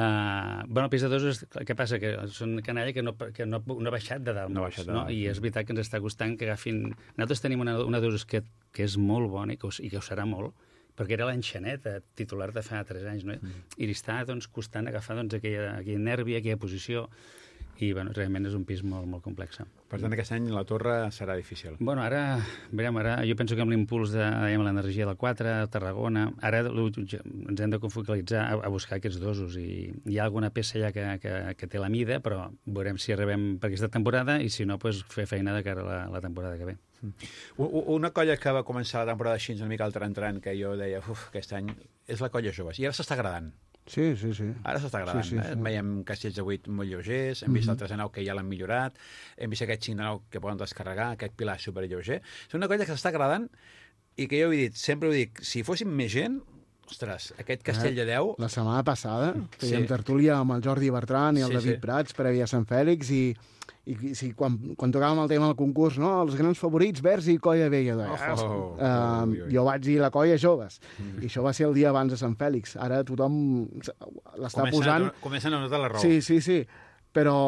el pis de dosos, què passa? Que són canalla que no ha baixat de dalt, no? I és veritat que ens està costant que agafin... Nosaltres tenim una dosos que és molt bona i que ho serà molt, perquè era l'enxaneta titular de fa 3 anys, no? I li està costant agafar aquell nervi, aquella posició, i realment és un pis molt, molt complex. Per tant, aquest any la torre serà difícil. Ara jo penso que amb l'impuls de l'energia del 4, Tarragona, ara ens hem de focalitzar a buscar aquests dosos, i hi ha alguna peça ja que té la mida, però veurem si arribem per aquesta temporada i si no, fer feina de cara a la temporada que ve. Una colla que va començar la temporada així una mica al tran, que jo deia, aquest any, és la colla joves, i ara s'està agradant. Sí. Ara s'està agradant. Sí. Veiem castells de 8 molt lleugers, hem vist el 3 de 9 que ja l'han millorat, hem vist aquest 5 de 9 que poden descarregar, aquest pilar superlleuger. És una colla que s'està agradant i que jo sempre ho dic, si fóssim més gent, ostres, aquest castell de 10... La setmana passada fèiem tertúlia amb el Jordi Bertran i el David Prats prèvia a Sant Fèlix i quan tocàvem el tema del concurs, no? Els grans favorits, Verds i Colla Vella. Jo vaig dir la Colla Joves. I això va ser el dia abans de Sant Fèlix. Ara tothom l'està posant... Comencen a notar la raó. Sí. Però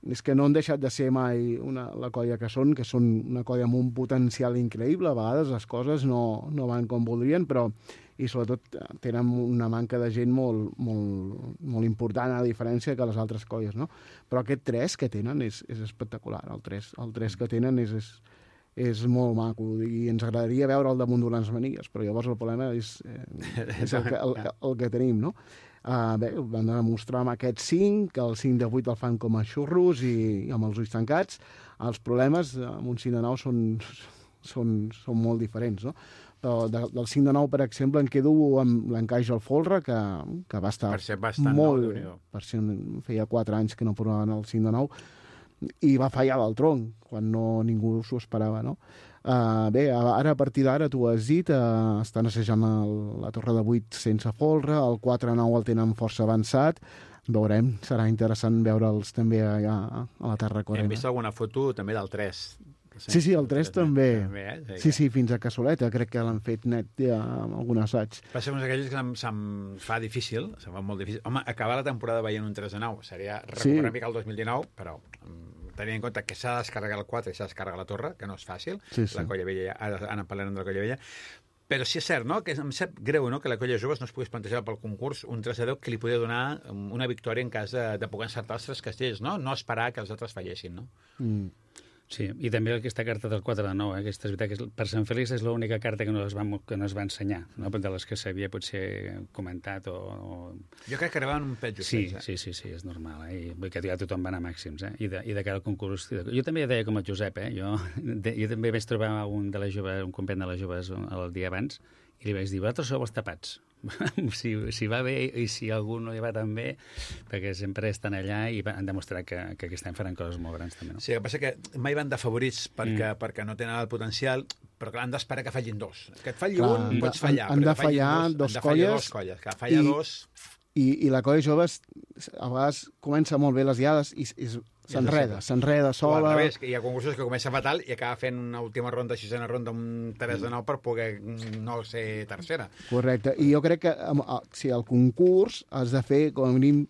és que no han deixat de ser mai la colla que són una colla amb un potencial increïble. A vegades les coses no van com voldrien, però i sobretot tenen una manca de gent molt, molt, molt important, a diferència que les altres colles, no? Però aquest 3 que tenen és espectacular. El 3 que tenen és molt maco i ens agradaria veure el damunt d'unes manilles, però llavors el problema és el que tenim, no? Bé, van demostrar amb aquest 5, que el 5 de 8 el fan com a xurros i amb els ulls tancats. Els problemes amb un 5 de 9 són molt diferents, no? Però del 5 de 9, per exemple, em quedo amb l'encaix al folre, que va estar molt... Per ser, feia 4 anys que no provaven el 5 de 9, i va fallar del tronc, quan ningú s'ho esperava, no? Bé, ara, a partir d'ara, tu has dit, estan assajant la torre de 8 sense folre, el 4-9 el tenen força avançat, veurem, serà interessant veure'ls també allà a la Tarracorena. Hem vist alguna foto també del 3. Sí, el 3 també. Sí, fins a Cassoleta, crec que l'han fet net ja amb algun assaig. Va ser uns d'aquells que se'm fa difícil, se'm fa molt difícil. Home, acabar la temporada veient un 3 de 9 seria recuperar una mica el 2019, però tenint en compte que s'ha de descarregar el 4 i s'ha de descarregar la torre, que no és fàcil, la Colla Vella, ara parlarem de la Colla Vella, però sí és cert, no?, que em sap greu, no?, que la Colla Joves no es pogués plantejar pel concurs un 3 de 10 que li podia donar una victòria en cas de poder encertar els 3 castells, no? No esperar que els altres fallessin, no? Sí, i també aquesta carta del 4 de 9, aquesta és veritat que per Sant Félix és l'única carta que no es va ensenyar, no? De les que s'havia potser comentat o... Jo crec que arribaven un pet justets, Sí, és normal, I vull que ja tothom va anar a màxims, I de cara al concurs... Jo també deia com el Josep, Jo també vaig trobar un company de les joves el dia abans, i li vaig dir, vosaltres sou els tapats. si va bé i si algú no hi va tan bé, perquè sempre estan allà i han demostrat que aquest any faran coses molt grans també, no? Sí, el que passa que mai van de favorits perquè no tenen el potencial, però clar, han d'esperar que fallin 2. Que et falli un, pots fallar. Han de fallar dos colles. Que falla 2... I la colla joves a vegades comença molt bé les diades i s'enreda sola. Al revés, hi ha concursos que comença fatal i acaba fent una última ronda, 6a ronda, un 3 de 9 per poder no ser tercera. Correcte. I jo crec que si al concurs has de fer, com a mínim,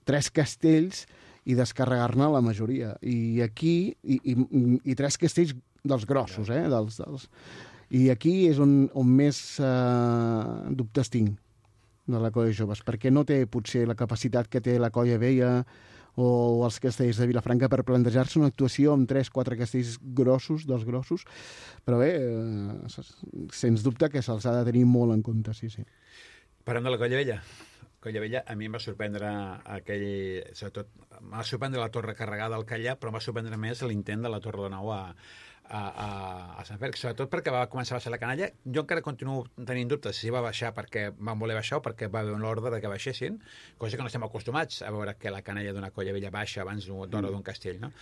3 castells i descarregar-ne la majoria. I aquí, i 3 castells dels grossos, I aquí és on més dubtes tinc de la colla joves, perquè no té potser la capacitat que té la colla vella o els castells de Vilafranca per plantejar-se una actuació amb 3-4 castells grossos, dels grossos, però bé, sens dubte que se'ls ha de tenir molt en compte, sí. Parlem de la Colla Vella. Colla Vella, a mi em va sorprendre sobretot, em va sorprendre la torre carregada al Callà, però em va sorprendre més l'intent de la Torre de Nou a Sant Fèlix, sobretot perquè va començar a baixar la canalla. Jo encara continuo tenint dubtes si va baixar perquè van voler baixar o perquè va haver l'ordre de que baixessin, cosa que no estem acostumats a veure que la canalla d'una Colla Vella baixa abans d'hora d'un castell, no?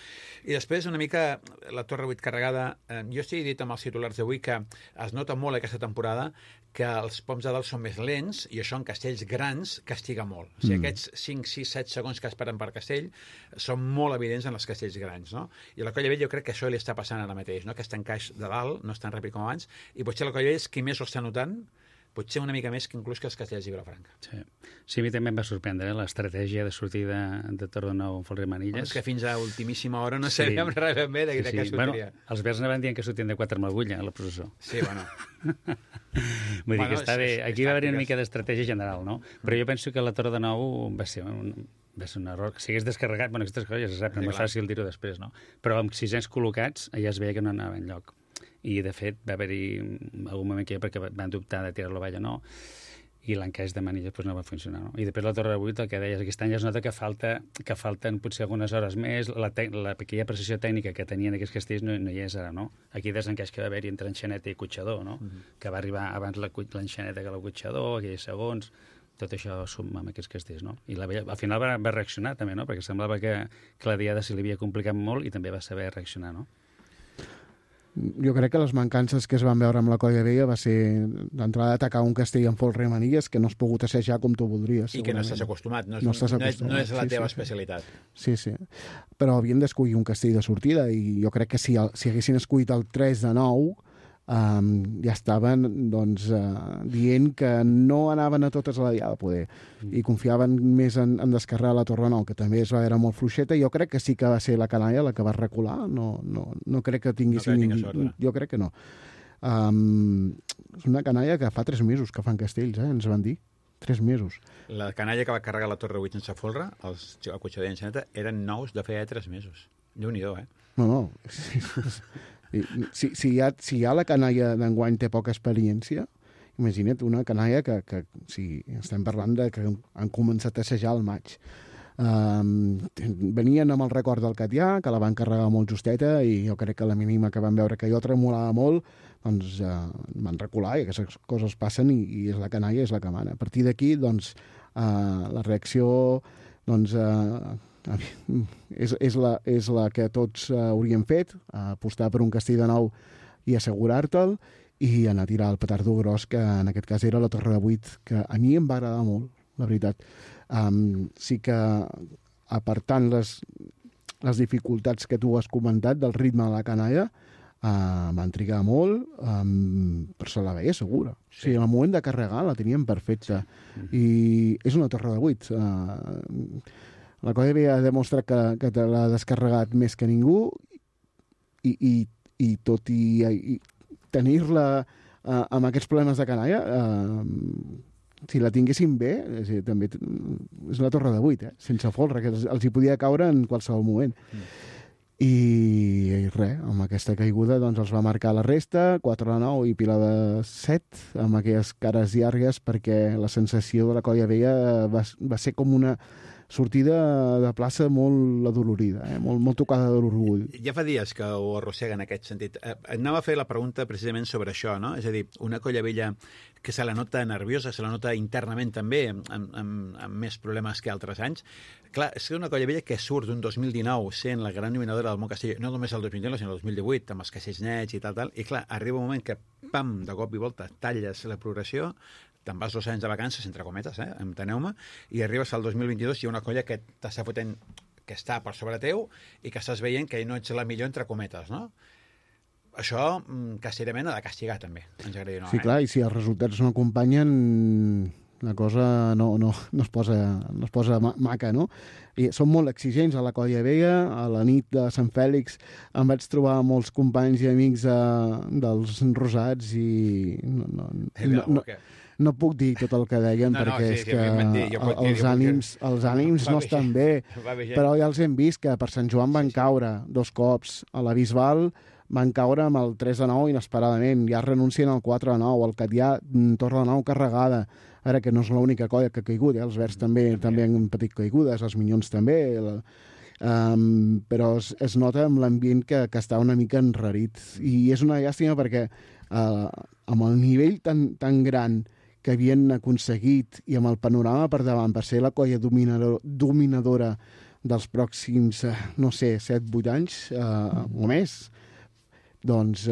I després una mica la Torre 8 carregada. Jo estic dit amb els titulars d'avui que es nota molt aquesta temporada que els poms de dalt són més lents i això en castells grans castiga molt. O sigui, aquests 5, 6, 7 segons que esperen per castell són molt evidents en els castells grans, no? I a la Colla Vella jo crec que això li està passant ara mateix, no? Aquest encaix de dalt no és tan ràpid com abans i potser la Colla Vella és qui més ho està notant, potser una mica més que inclús que els castells de Vilafranca. Sí, a mi també em va sorprendre l'estratègia de sortida de Torre Nou amb Folre Manilles. És que fins a ultimíssima hora no sabíem res ben bé de què sortiria. Bueno, els verds anaven dient que sortien de 4 amb l'agulla a la processó. Sí, bueno. Vull dir que està bé. Aquí va haver una mica d'estratègia general, no? Però jo penso que la Torre de Nou va ser un error. Si hagués descarregat, aquestes coses ja se sap, no és fàcil dir-ho després, no? Però amb 600 col·locats ja es veia que no anava enlloc. I, de fet, va haver-hi algun moment que perquè van dubtar de tirar-lo avall o no, i l'encaix de manilles no va funcionar, no? I després la Torre 8, el que deies, aquest any ja es nota que falten potser algunes hores més, aquella precisió tècnica que tenien aquests castells no hi és ara, no? Aquí desencaix que va haver-hi entre enxaneta i cotxador, no? Que va arribar abans l'enxaneta que el cotxador, aquells segons, tot això suma amb aquests castells, no? I al final va reaccionar també, no? Perquè semblava que la diada se li havia complicat molt i també va saber reaccionar, no? Jo crec que les mancances que es van veure amb la Colla Vella va ser d'entrada atacar un castell amb folre i manilles que no has pogut assajar com tu voldries. I que no estàs acostumat, no és la teva especialitat. Sí. Però havien d'escollir un castell de sortida i jo crec que si haguessin escollit el 3 de 9 ja estaven dient que no anaven a totes a la diada, poder, i confiaven més en descarregar la Torre Nou, que també es va veure molt fluixeta. Jo crec que sí que va ser la canalla la que va recular, no crec que tinguessin... Jo crec que no. És una canalla que fa 3 mesos que fan castells, ens van dir. 3 mesos. La canalla que va carregar la Torre 8 sense folre, el cotxe de llançaneta, eren nous de feia 3 mesos. Déu-n'hi-do, No. Si ja la canalla d'enguany té poca experiència, imagina't una canalla que estem parlant de que han començat a assajar al maig. Venien amb el record del Catià, que la van carregar molt justeta, i jo crec que la mínima que van veure que jo tremolava molt, doncs van recular, i aquestes coses passen, i és la canalla, és la que mana. A partir d'aquí, doncs, la reacció és la que tots hauríem fet, apostar per un castell de nou i assegurar-te'l, i anar a tirar el petardo gros, que en aquest cas era la Torre de 8, que a mi em va agradar molt, la veritat. Sí que, apartant les dificultats que tu has comentat del ritme de la canalla, van trigar molt, però se la veia segura. Sí. O sigui, en el moment de carregar la teníem perfecta. I és una Torre de 8. La Colla havia demostrat que te l'ha descarregat més que ningú, i tot i tenir-la amb aquests problemes de canalla, si la tinguessin bé, també és la Torre de 8, sense folre, que els hi podia caure en qualsevol moment. I res, amb aquesta caiguda doncs els va marcar la resta, 4-9 i pila de 7, amb aquelles cares llargues, perquè la sensació de la Colla Vella va ser com una sortida de plaça molt adolorida, molt tocada de l'orgull. Ja fa dies que ho arrossega en aquest sentit. Anava a fer la pregunta precisament sobre això, no? És a dir, una Colla Vella que se la nota nerviosa, se la nota internament també, amb més problemes que altres anys. Clar, és una Colla Vella que surt d'un 2019 sent la gran dominadora del món castell, no només el 2019, sinó el 2018, amb els castells nets i tal, i clar, arriba un moment que, pam, de cop i volta, talles la progressió, te'n vas 2 anys de vacances, entre cometes, enteneu-me, i arribes al 2022 i hi ha una colla que t'està fotent, que està per sobre teu i que estàs veient que no ets la millor, entre cometes, no? Això, castellerament, ha de castigar, també, ens agradi o no. Sí, clar, i si els resultats no acompanyen, la cosa no es posa maca, no? I són molt exigents a la Colla Vella. A la nit de Sant Fèlix em vaig trobar molts companys i amics dels Rosats i no puc dir tot el que deien, perquè és que els ànims no estan bé, però ja els hem vist que per Sant Joan van caure 2 cops, a la Bisbal van caure amb el 3-9 inesperadament, ja renuncien al 4-9, el Catià torna de nou carregada, ara que no és l'única colla que ha caigut, els Verds també han patit caigudes, els Minyons també, però es nota amb l'ambient que està una mica enrarit, i és una llàstima perquè amb el nivell tan gran que havien aconseguit i amb el panorama per davant per ser la colla dominadora dels pròxims, no sé, 7-8 anys o més, doncs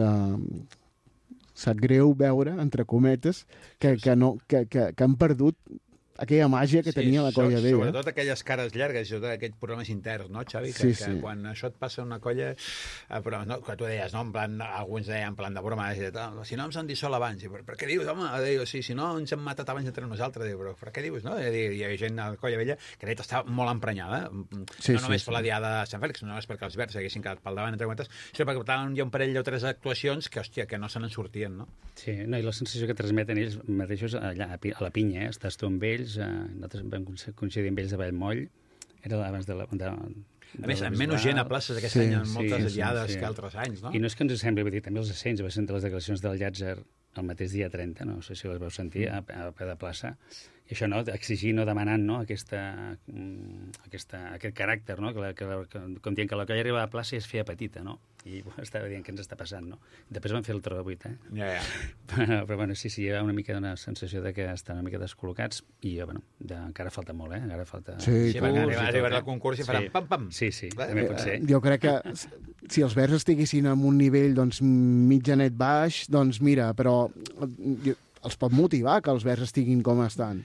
sap greu veure, entre cometes, que han perdut aquella màgia que tenia la Colla Vella. Sobretot aquelles cares llargues, sobretot aquells problemes interns, no, Xavi? Que quan això et passa una colla... Però no, que tu deies, no? En plan, alguns deien en plan de broma, si no ens han dissolt abans, per què dius, home? Si no ens hem matat abans entre nosaltres, però per què dius, no? Hi havia gent a la Colla Vella que està molt emprenyada, no només per la diada de Sant Fèlix, no només perquè els Verds haguessin quedat pel davant, entre cometes, sinó perquè hi ha un parell o 3 actuacions que, hòstia, que no se n'en sortien, no? Sí, no, i la sensació que transmeten ells mateixos allà a la pinya, estàs tu amb ells, nosaltres vam coincidir amb ells a Vallmoll, era abans de la... A més, amb menys gent a places aquest any, en moltes diades que altres anys, no? I no és que ens sembli, vull dir, també els ascens, va sentir les declaracions del Llàtzer el mateix dia 30, no sé si les vau sentir, a peu de plaça, i això, no?, exigir, no demanant, no?, aquest caràcter, no?, com dient que la colla arribava a la plaça i es feia petita, no?, i estava dient què ens està passant, no? Després van fer el Torre de 8, Ja. Però bueno, sí, hi ha una mica una sensació de que estan una mica descol·locats i, bueno, encara falta molt, encara falta... Sí, arribarà al concurs i faran pam-pam. Sí, també pot ser. Jo crec que si els Verds estiguessin en un nivell, doncs, mitjanet baix, doncs mira, però els pot motivar que els verds estiguin com estan.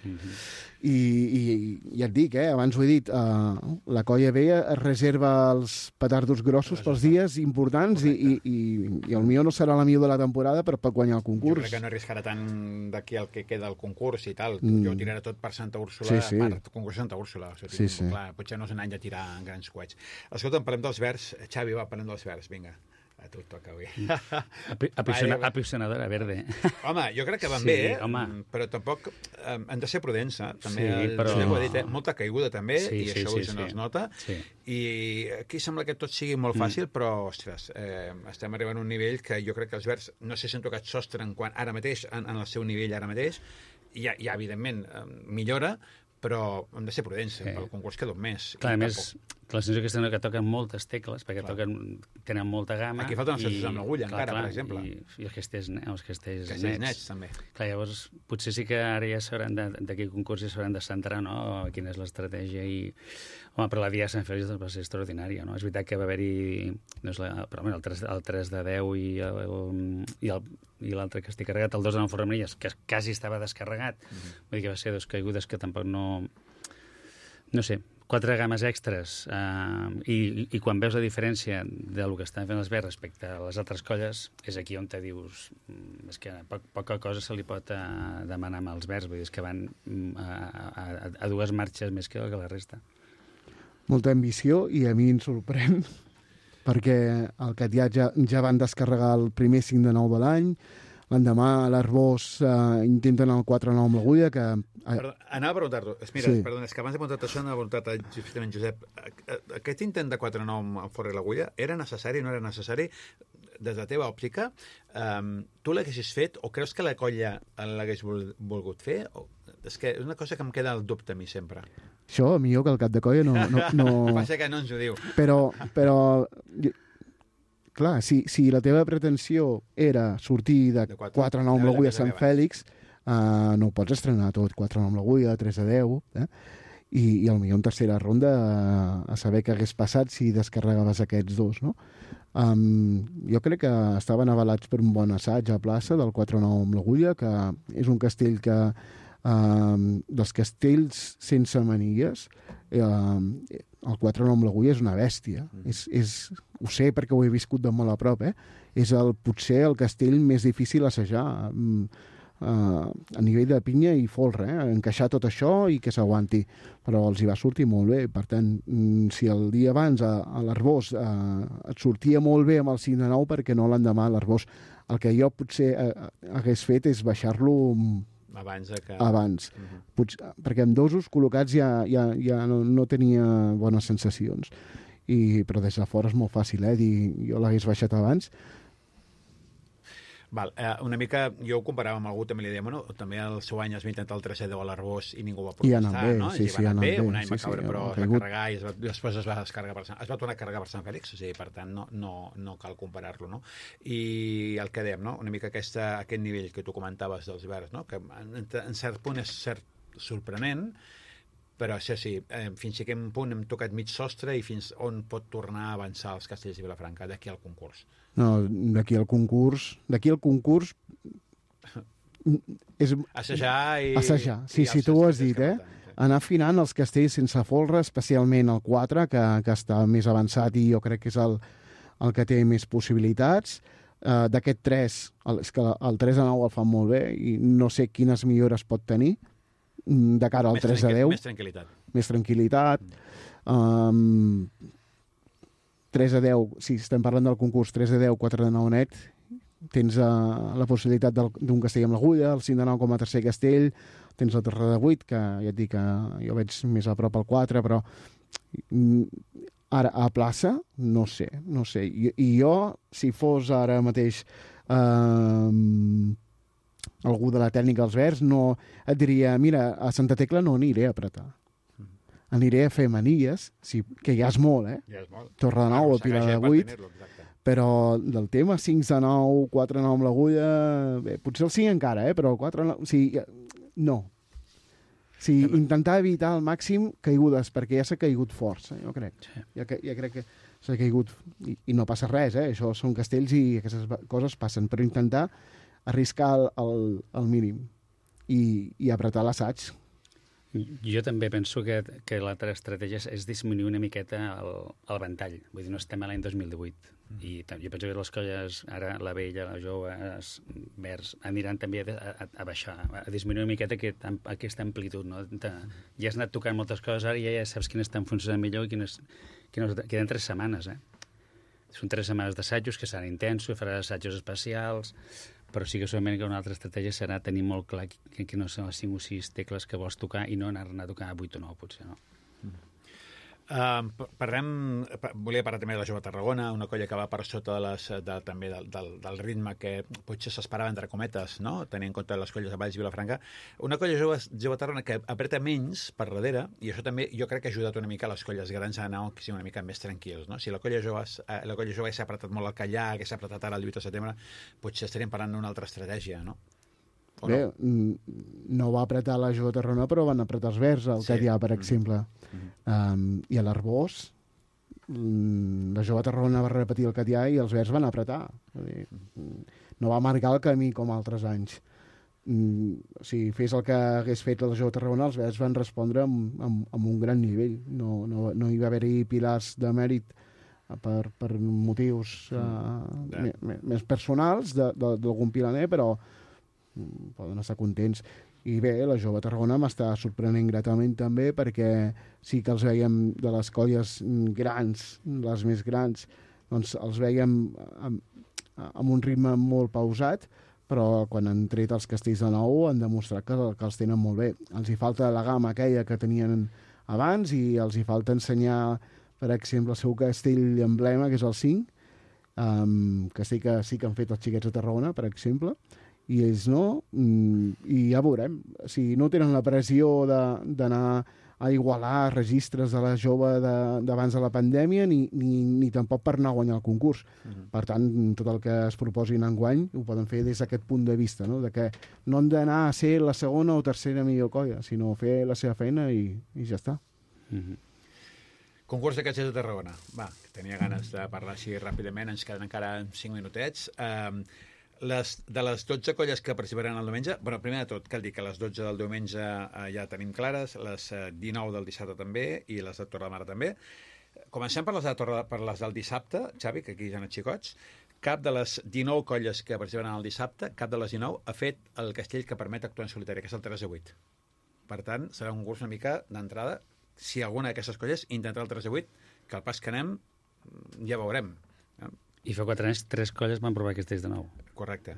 I ja et dic, abans ho he dit, la Colla B es reserva els petardos grossos pels dies importants i el millor no serà la millor de la temporada per guanyar el concurs. Jo crec que no arriscarà tant d'aquí el que queda el concurs i tal. Jo tiraré tot per Santa Úrsula, per concurs Santa Úrsula. O sigui, clar, potser no és un any de tirar en grans coets. Escolta, parlem dels verds. Xavi, va, parlem dels verds, vinga. A tu et toca avui. Apisonadora verde. Home, jo crec que van bé, però tampoc han de ser prudents, també. Però... ho he dit, molta caiguda també, i això no es nota. I aquí sembla que tot sigui molt fàcil, però, ostres, estem arribant a un nivell que jo crec que els verds no sé si han tocat sostre ara mateix, en el seu nivell ara mateix. Ja, evidentment, millora, però hem de ser prudents, pel concurs queda un mes. Clar, a més, la sensació que toquen moltes tecles, perquè tenen molta gamma. Aquí falten els sostres amb l'agulla, encara, per exemple. I els castells nets, també. Clar, llavors, potser sí que ara ja s'hauran d'aquí concurs ja s'hauran de centrar, no?, quina és l'estratègia i... Home, però la dia de Sant Fèlix va ser extraordinària, no? És veritat que va haver-hi el 3 de 10 i l'altre que estic carregat, el 2 de 9 Fornells, que quasi estava descarregat. Vull dir que va ser dos caigudes que tampoc no... No sé, 4 games extres i quan veus la diferència del que estan fent els verds respecte a les altres colles, és aquí on te dius és que poca cosa se li pot demanar amb els verds, vull dir, és que van a dues marxes més que la resta. Molta ambició, i a mi em sorprèn perquè el Catià ja van descarregar el primer 5 de 9 de l'any, l'endemà a l'Arbós intenten el 4-9 amb l'agulla, que... Anava a preguntar-t'ho. Mira, perdona, és que abans de preguntar-te això anava a preguntar-te justament, Josep, aquest intent de 4-9 amb fora l'agulla era necessari o no era necessari? Des de la teva òptica, tu l'haguessis fet o creus que la colla l'hagués volgut fer? És que és una cosa que em queda el dubte a mi sempre. Això, millor que el cap de colla no... Passa que no ens ho diu. Però clar, si la teva pretensió era sortir de 4-9 amb l'agulla a Sant Fèlix, no ho pots estrenar tot, 4-9 amb l'agulla, 3-10, i potser en tercera ronda a saber què hagués passat si descarregaves aquests dos, no? Jo crec que estaven avalats per un bon assaig a plaça del 4-9 amb l'agulla, que és un castell que dels castells sense manilles el 4-9 amb l'agulla és una bèstia. Ho sé perquè ho he viscut de molt a prop, és potser el castell més difícil a assajar a nivell de pinya i folre, encaixar tot això i que s'aguanti, però els hi va sortir molt bé. Per tant, si el dia abans a l'Arbós et sortia molt bé amb el 5 de 9, perquè no l'endemà a l'Arbós? El que jo potser hagués fet és baixar-lo abans. Perquè amb dosos col·locats ja no tenia bones sensacions, però des de fora és molt fàcil dir jo l'hagués baixat abans. Val, una mica, jo ho comparava amb algú, també li deia, bueno, també el seu any es va intentar el 3-10 a l'Arbós i ningú va protestar, no? I va anar bé, un any va caure, però es va carregar i després es va descarregar es va tornar a carregar per Sant Fèlix, o sigui, per tant, no cal comparar-lo, no? I el que dèiem, no? Una mica aquest nivell que tu comentaves dels verds, no? Que en cert punt és sorprenent, però sí, fins a quin punt hem tocat mig sostre i fins on pot tornar a avançar els castells de Vilafranca d'aquí al concurs? No, d'aquí al concurs és... Assajar i... Assajar, sí, tu ho has dit, anar afinant els castells sense folre, especialment el 4, que està més avançat i jo crec que és el que té més possibilitats. D'aquest 3, és que el 3 a 9 el fan molt bé i no sé quines millores pot tenir de cara al 3 a 10. Més tranquil·litat. 3 a 10, si estem parlant del concurs 3 a 10, 4 de 9 net, tens la possibilitat d'un castell amb l'agulla, el 5 de 9 com a tercer castell, tens el 3 de 8, que ja et dic que jo veig més a prop al 4, però ara a plaça, no sé. I jo, si fos ara mateix algú de la tècnica dels verds, no et diria, mira, a Santa Tecla no aniré a apretar. Aniré a fer manilles, que ja és molt, Ja és molt. Torre de 9 o Pilar de 8, però del tema 5 de 9, 4 de 9 amb l'agulla, bé, potser el 5 encara, però 4 de 9... O sigui, no. O sigui, intentar evitar al màxim caigudes, perquè ja s'ha caigut força, jo crec. Ja crec que s'ha caigut... I no passa res, això són castells i aquestes coses passen, però intentar arriscar el mínim i apretar l'assaig. Jo també penso que l'altra estratègia és disminuir una miqueta el ventall. Vull dir, no estem a l'any 2018. I jo penso que les colles, ara la vella, la jove, verds, aniran també a baixar, a disminuir una miqueta aquesta amplitud. No? Ja has anat tocant moltes coses, ara ja saps quines estan funcionant millor i quines queden 3 setmanes. Són 3 setmanes d'assajos que seran intensos, faràs assajos especials, però sí que segurament que una altra estratègia serà tenir molt clar que no són les 5 o 6 tecles que vols tocar i no anar a tocar 8 o 9, potser, no? Volia parlar també de la Jove Tarragona, una colla que va per sota també del ritme que potser s'esperava, entre cometes, no? Tenint en compte les colles de Valls i Vilafranca. Una colla Jove Tarragona que apreta menys per darrere, i això també jo crec que ha ajudat una mica a les colles grans a anar una mica més tranquils, no? Si la colla jove s'ha apretat molt al Callà, que s'ha apretat ara el 8 de setembre, potser estaríem parlant d'una altra estratègia, no? Bé, no va apretar la Jove Tarragona, però van apretar els verds, el Catllà, per exemple. I a l'Arbós, la Jove Tarragona va repetir el Catllà i els verds van apretar. No va marcar el camí com altres anys. Si fes el que hagués fet la Jove Tarragona, els verds van respondre amb un gran nivell. No hi va haver-hi pilars de mèrit per motius més personals d'algun pilaner, però poden estar contents. I bé, la Jove Tarragona m'està sorprenent gratament també, perquè sí que els veiem de les colles grans, les més grans, doncs els veiem amb un ritme molt pausat, però quan han tret els castells de nou han demostrat que els tenen molt bé. Els hi falta la gamma aquella que tenien abans i els hi falta ensenyar, per exemple, el seu castell emblema, que és el 5, castell que sí que han fet els xiquets de Tarragona, per exemple, i ells no, i ja veurem. Si no tenen la pressió d'anar a igualar registres de la jove d'abans de la pandèmia, ni tampoc per anar a guanyar el concurs. Per tant, tot el que es proposin enguany ho poden fer des d'aquest punt de vista, no? De que no han d'anar a ser la segona o tercera millor colla, sinó fer la seva feina i ja està. Concurs de castells de Tarragona. Va, tenia ganes de parlar així ràpidament, ens queden encara 5 minutets. De les 12 colles que participaran el diumenge, primer de tot, cal dir que les 12 del diumenge ja tenim clares, les 19 del dissabte també, i les de Torredembarra també. Comencem per les del dissabte, Xavi, que aquí hi ha els xicots. Cap de les 19 colles que participaran el dissabte, cap de les 19 ha fet el castell que permet actuar en solitari, que és el 3 a 8. Per tant, serà un concurs una mica d'entrada. Si alguna d'aquestes colles intentarà el 3 a 8, que al pas que anem ja veurem. I fa 4 anys 3 colles van provar castells de nou. Correcte.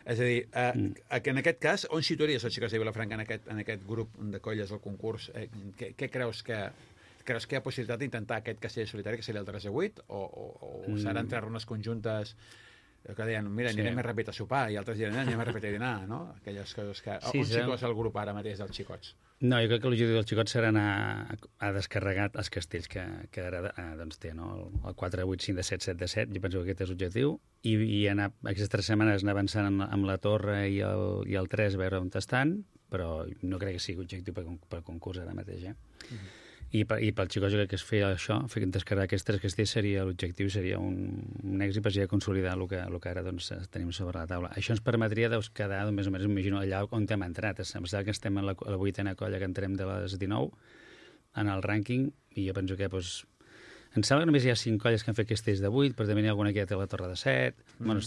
És a dir, que en aquest cas, on situaries els xicots de Vilafranca en aquest grup de colles del concurs? Què creus que hi ha possibilitat d'intentar aquest castell solitari, que seria el 3 a 8, o seran 3 runes conjuntes que deien, mira, anirem més ràpid a sopar, i altres diran, anirem més ràpid a dinar, no? Aquelles coses que... On situes el grup ara mateix dels xicots? No, jo crec que l'objectiu dels xicots serà anar a descarregar els castells que ara doncs, té, no? El 4, 8, 5 de 7, 7 de 7, jo penso que aquest és l'objectiu, i anar aquestes 3 setmanes anar avançant amb la torre i el 3 a veure on estan, però no crec que sigui objectiu per concurs ara mateix, I pel xicot jo crec que es feia això, descarregar aquests 3 castells seria l'objectiu, seria un èxit per consolidar el que ara doncs, tenim sobre la taula. Això ens permetria quedar més o menys, imagino, allà on hem entrat. Em sembla que estem a la 8a colla que entrem de les 19 en el rànquing, i jo penso que em sembla que només hi ha 5 colles que han fet castells de 8, però també n'hi ha alguna que ja té la torre de 7. Bueno,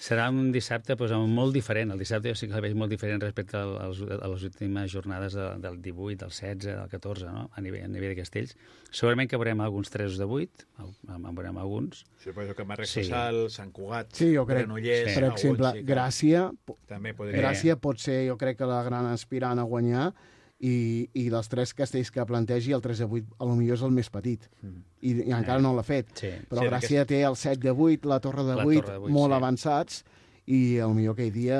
serà un dissabte molt diferent. El dissabte jo sí que el veig molt diferent respecte a les últimes jornades del 18, del 16, del 14, no? a nivell de castells. Segurament que veurem alguns 3 de 8, en veurem alguns. Suposo que Marc Sassal, Sant Cugat, Granollers... Per exemple, Gràcia pot ser, jo crec, que la gran aspirant a guanyar, i dels 3 castells que plantegi, el 3 de 8 potser és el més petit, i encara no l'ha fet. Però Gràcia té el 7 de 8, la torre de 8, molt avançats, i potser aquell dia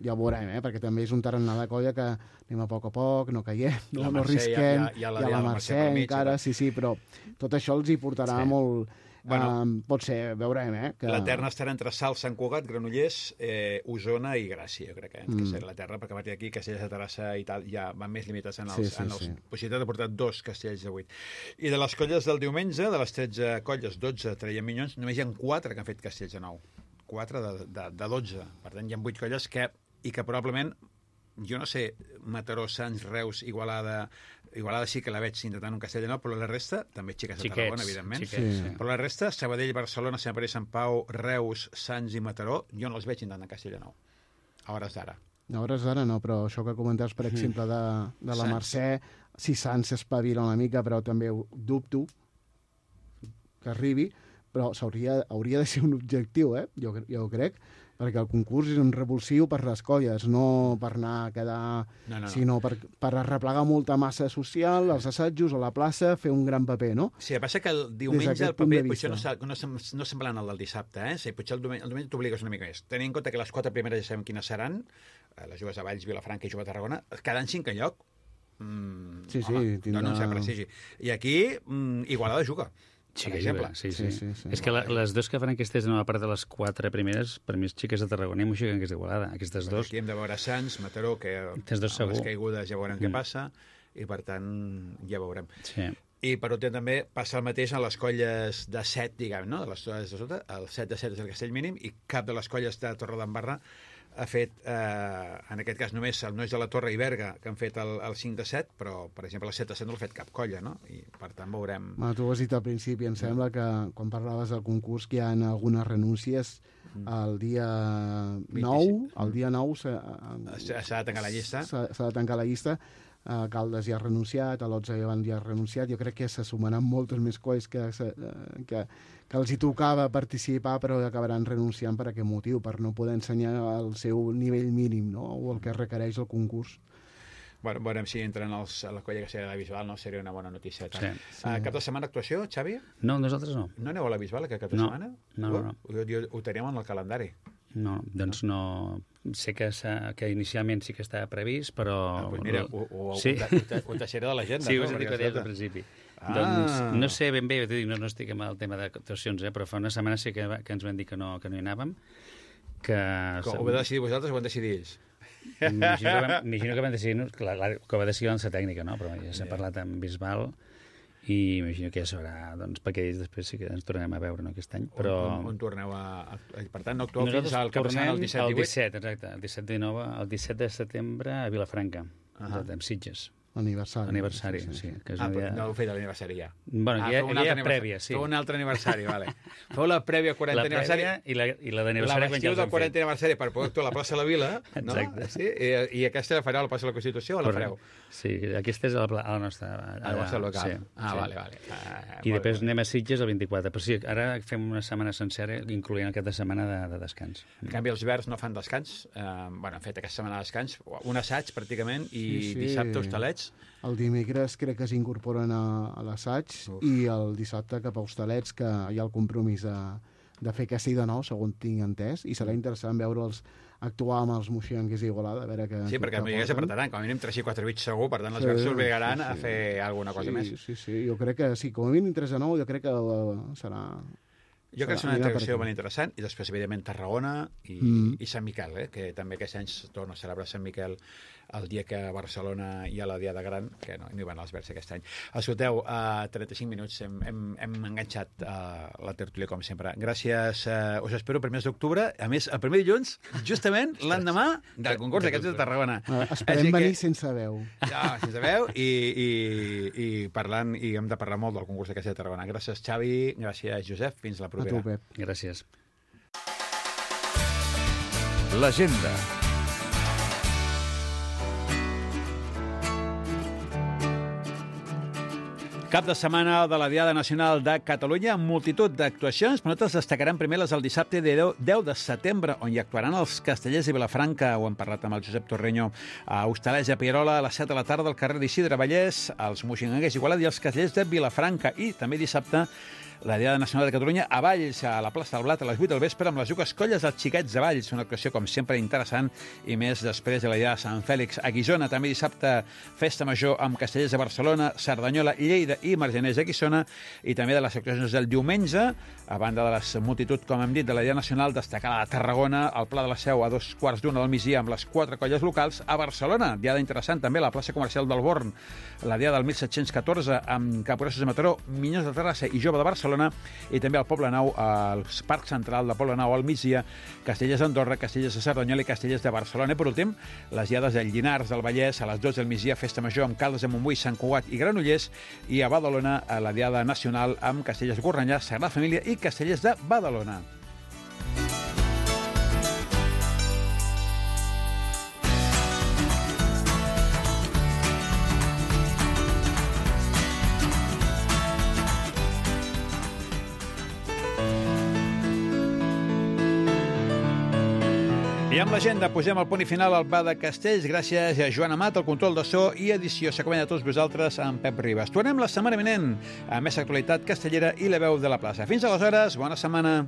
ja ho veurem, perquè també és un tarannà de colla que anem a poc, no caiem, no risquem, hi ha la Mercè encara, sí, però tot això els hi portarà molt... pot ser, veurem, que... La terna estarà entre Salt, Sant Cugat, Granollers, Osona i Gràcia, jo crec, que serà la terna, perquè a partir d'aquí Castells de Terrassa i tal ja van més limitats en els possibilitats de portar 2 castells de 8. I de les colles del diumenge, de les 13 colles, 12 traiem minyons, només hi ha 4 que han fet castells de 9. 4 de 12. Per tant, hi ha 8 colles que probablement, jo no sé, Mataró, Sants, Reus, Igualada sí que la veig intentant un Castellnou, però la resta, també xiques de Tarragona, evidentment. Sí. Però la resta, Sabadell, Barcelona, Sant Pere i Sant Pau, Reus, Sants i Mataró, jo no els veig intentant Castellnou. A hores d'ara. A hores d'ara no, però això que comentaves, per exemple, de la Mercè, si Sants s'espavila una mica, però també dubto que arribi, però hauria de ser un objectiu, jo crec, perquè el concurs és un revulsiu per les colles, no per anar a quedar... sinó per arreplegar molta massa social, els assajos, a la plaça, fer un gran paper, no? Sí, el que passa que el diumenge el paper potser no semblant al del dissabte, eh? Sí, potser el diumenge t'obligues una mica més. Tenint en compte que les 4 primeres ja sabem quines seran, les Joves de Valls, Vilafranca i Jove de Tarragona, quedant 5 lloc. No sé prestigi. I aquí Igualada juga. Sí, per exemple. Sí. És que les dues que faran aquestes, a part de les 4 primeres, per mi, xiques de Tarragona i m'ho xiguen que és d'Igualada. Aquestes dos... Aquí hem de veure Sants, Mataró, que amb les caigudes ja veurem què passa, i per tant ja veurem. Sí. I per últim també passa el mateix en les colles de 7, diguem, no? De les colles de sota, el 7 de 7 és el castell mínim, i cap de les colles de Torredembarra ha fet, en aquest cas només el Nois de la Torre i Berga, que han fet el 5 de 7, però, per exemple, el 7 de 7 no l'ha fet cap colla, no? I, per tant, veurem... Tu ho has dit al principi, em sembla que quan parlaves del concurs que hi ha algunes renúncies el dia 9, el dia 9 s'ha de tancar la llista. S'ha de tancar la llista. Caldes ja ha renunciat, a l'Otze ja ha renunciat. Jo crec que se sumaran moltes més colles que els hi tocava participar, però acabaran renunciant per aquest motiu, per no poder ensenyar el seu nivell mínim, no? O el que requereix el concurs. Bueno, veurem si entren a la colla que seria de la Bisbal, no? Seria una bona notícia. Sí. Cap de setmana actuació, Xavi? No, nosaltres no. No aneu a la Bisbal aquest cap de setmana? No. Ho teníem en el calendari. No, doncs no. Sé que inicialment sí que estava previst, però... Doncs mira, ho deixaré de l'agenda. Sí, ho has dit que deies al principi. Doncs no sé ben bé, no estic amb el tema d'actuacions, però fa una setmana sí que ens van dir que no hi anàvem. Ho vau decidir vosaltres o ho van decidir ells? M'imagino que van decidir, que va decidir la tècnica, no? Però ja s'ha parlat amb Bisbal i imagino que ja sabrà, doncs, perquè ells després sí que ens tornarem a veure, no, aquest any. Però... On torneu a... Per tant, no actueu fins al cap de setmana, el 17 i 18? El 17, exacte, el 17 de setembre a Vilafranca, amb Sitges. Aniversari, sí. No heu fet l'aniversari ja. Bueno, hi ha prèvia, sí. Feu un altre aniversari, vale. Feu la prèvia 40 aniversari. I la d'aniversari quan ja els del 40 aniversari per poder actuar a la plaça de la Vila. Exacte. Sí? I aquesta la fareu a la plaça de la Constitució o la fareu? Sí, aquesta és a la nostra... A la vostra local. Vale. I després anem a Sitges el 24. Però sí, ara fem una setmana sencera, incloent el cap de setmana de descans. En canvi, els Verds no fan descans. Han fet aquesta setmana de descans, un assaig, pràcticament, i dissabte hostalets. El dimecres crec que s'incorporen a l'assaig i el dissabte cap a Hostalets, que hi ha el compromís de fer castell de nou, segons tinc entès, i serà interessant veure'ls actuar amb els moixonguers d'Igualada. Sí, perquè ja s'apretaran, com a mínim 3 i 4 bits segur, per tant les Verds s'obligaran a fer alguna cosa més. Sí, jo crec que sí, com a mínim 3 a 9, jo crec que serà... Jo crec que és una integració molt interessant, i després, evidentment, Tarragona i Sant Miquel, que també aquest any es torna a celebrar Sant Miquel el dia que a Barcelona hi ha la Diada Gran, que no hi van als Verds aquest any. Escolteu, a 35 minuts hem enganxat la tertúlia, com sempre. Gràcies, us espero el 1 d'octubre, a més, el primer dilluns, justament l'endemà del concurs d'aquests de Tarragona. Esperem venir sense veu. Sense veu, i parlant, i hem de parlar molt del concurs d'aquests de Tarragona. Gràcies, Xavi, gràcies, Josep, fins la propera. A tu, Pep. Gràcies. L'agenda. Cap de setmana de la Diada Nacional de Catalunya amb multitud d'actuacions, però nosaltres destacarem primer les del dissabte de 10 de setembre, on hi actuaran els Castellers de Vilafranca, ho hem parlat amb el Josep Torreño, a Hostalets, a Pierola, a les 7 de la tarda al carrer d'Isidre Vallès, als Moixonguers d'Igualada i els Castellers de Vilafranca. I també dissabte la Diada Nacional de Catalunya a Valls, a la plaça del Blat, a les 8 del vespre, amb les Jugues Colles dels Xiquets de Valls. Una actuació, com sempre, interessant, i més després de la Diada de Sant Fèlix. A Guissona, també dissabte, festa major amb Castellers de Barcelona, Cerdanyola, Lleida i Margeners de Guissona, i també de les actuacions del diumenge, a banda de les multitud, com hem dit, de la Diada Nacional, destacar la de Tarragona, al Pla de la Seu, a 2:15 del migdia, amb les 4 colles locals. A Barcelona, Diada interessant, també, a la plaça comercial del Born, la Diada del 1714, amb Caporossos de Mataró, Minyons de Terrassa i Jove de Barcelona, Barcelona, i també al Poblenou, al Parc Central de Poblenou, al migdia, Castellers d'Andorra, Castellers de Cerdanyola i Castellers de Barcelona. I per últim, les diades del Llinars del Vallès, a les 12 del migdia, Festa Major amb Caldes de Montbui, Sant Cugat i Granollers, i a Badalona, a la diada nacional amb Castellers Gornallà, Sagrada Família i Castellers de Badalona. I amb l'agenda posem el punt i final al Va de Castells. Gràcies a Joan Amat, el control de so i edició. S'acompanya a tots vosaltres amb Pep Ribas. Tornem la setmana vinent a més actualitat castellera i la veu de la plaça. Fins aleshores, bona setmana.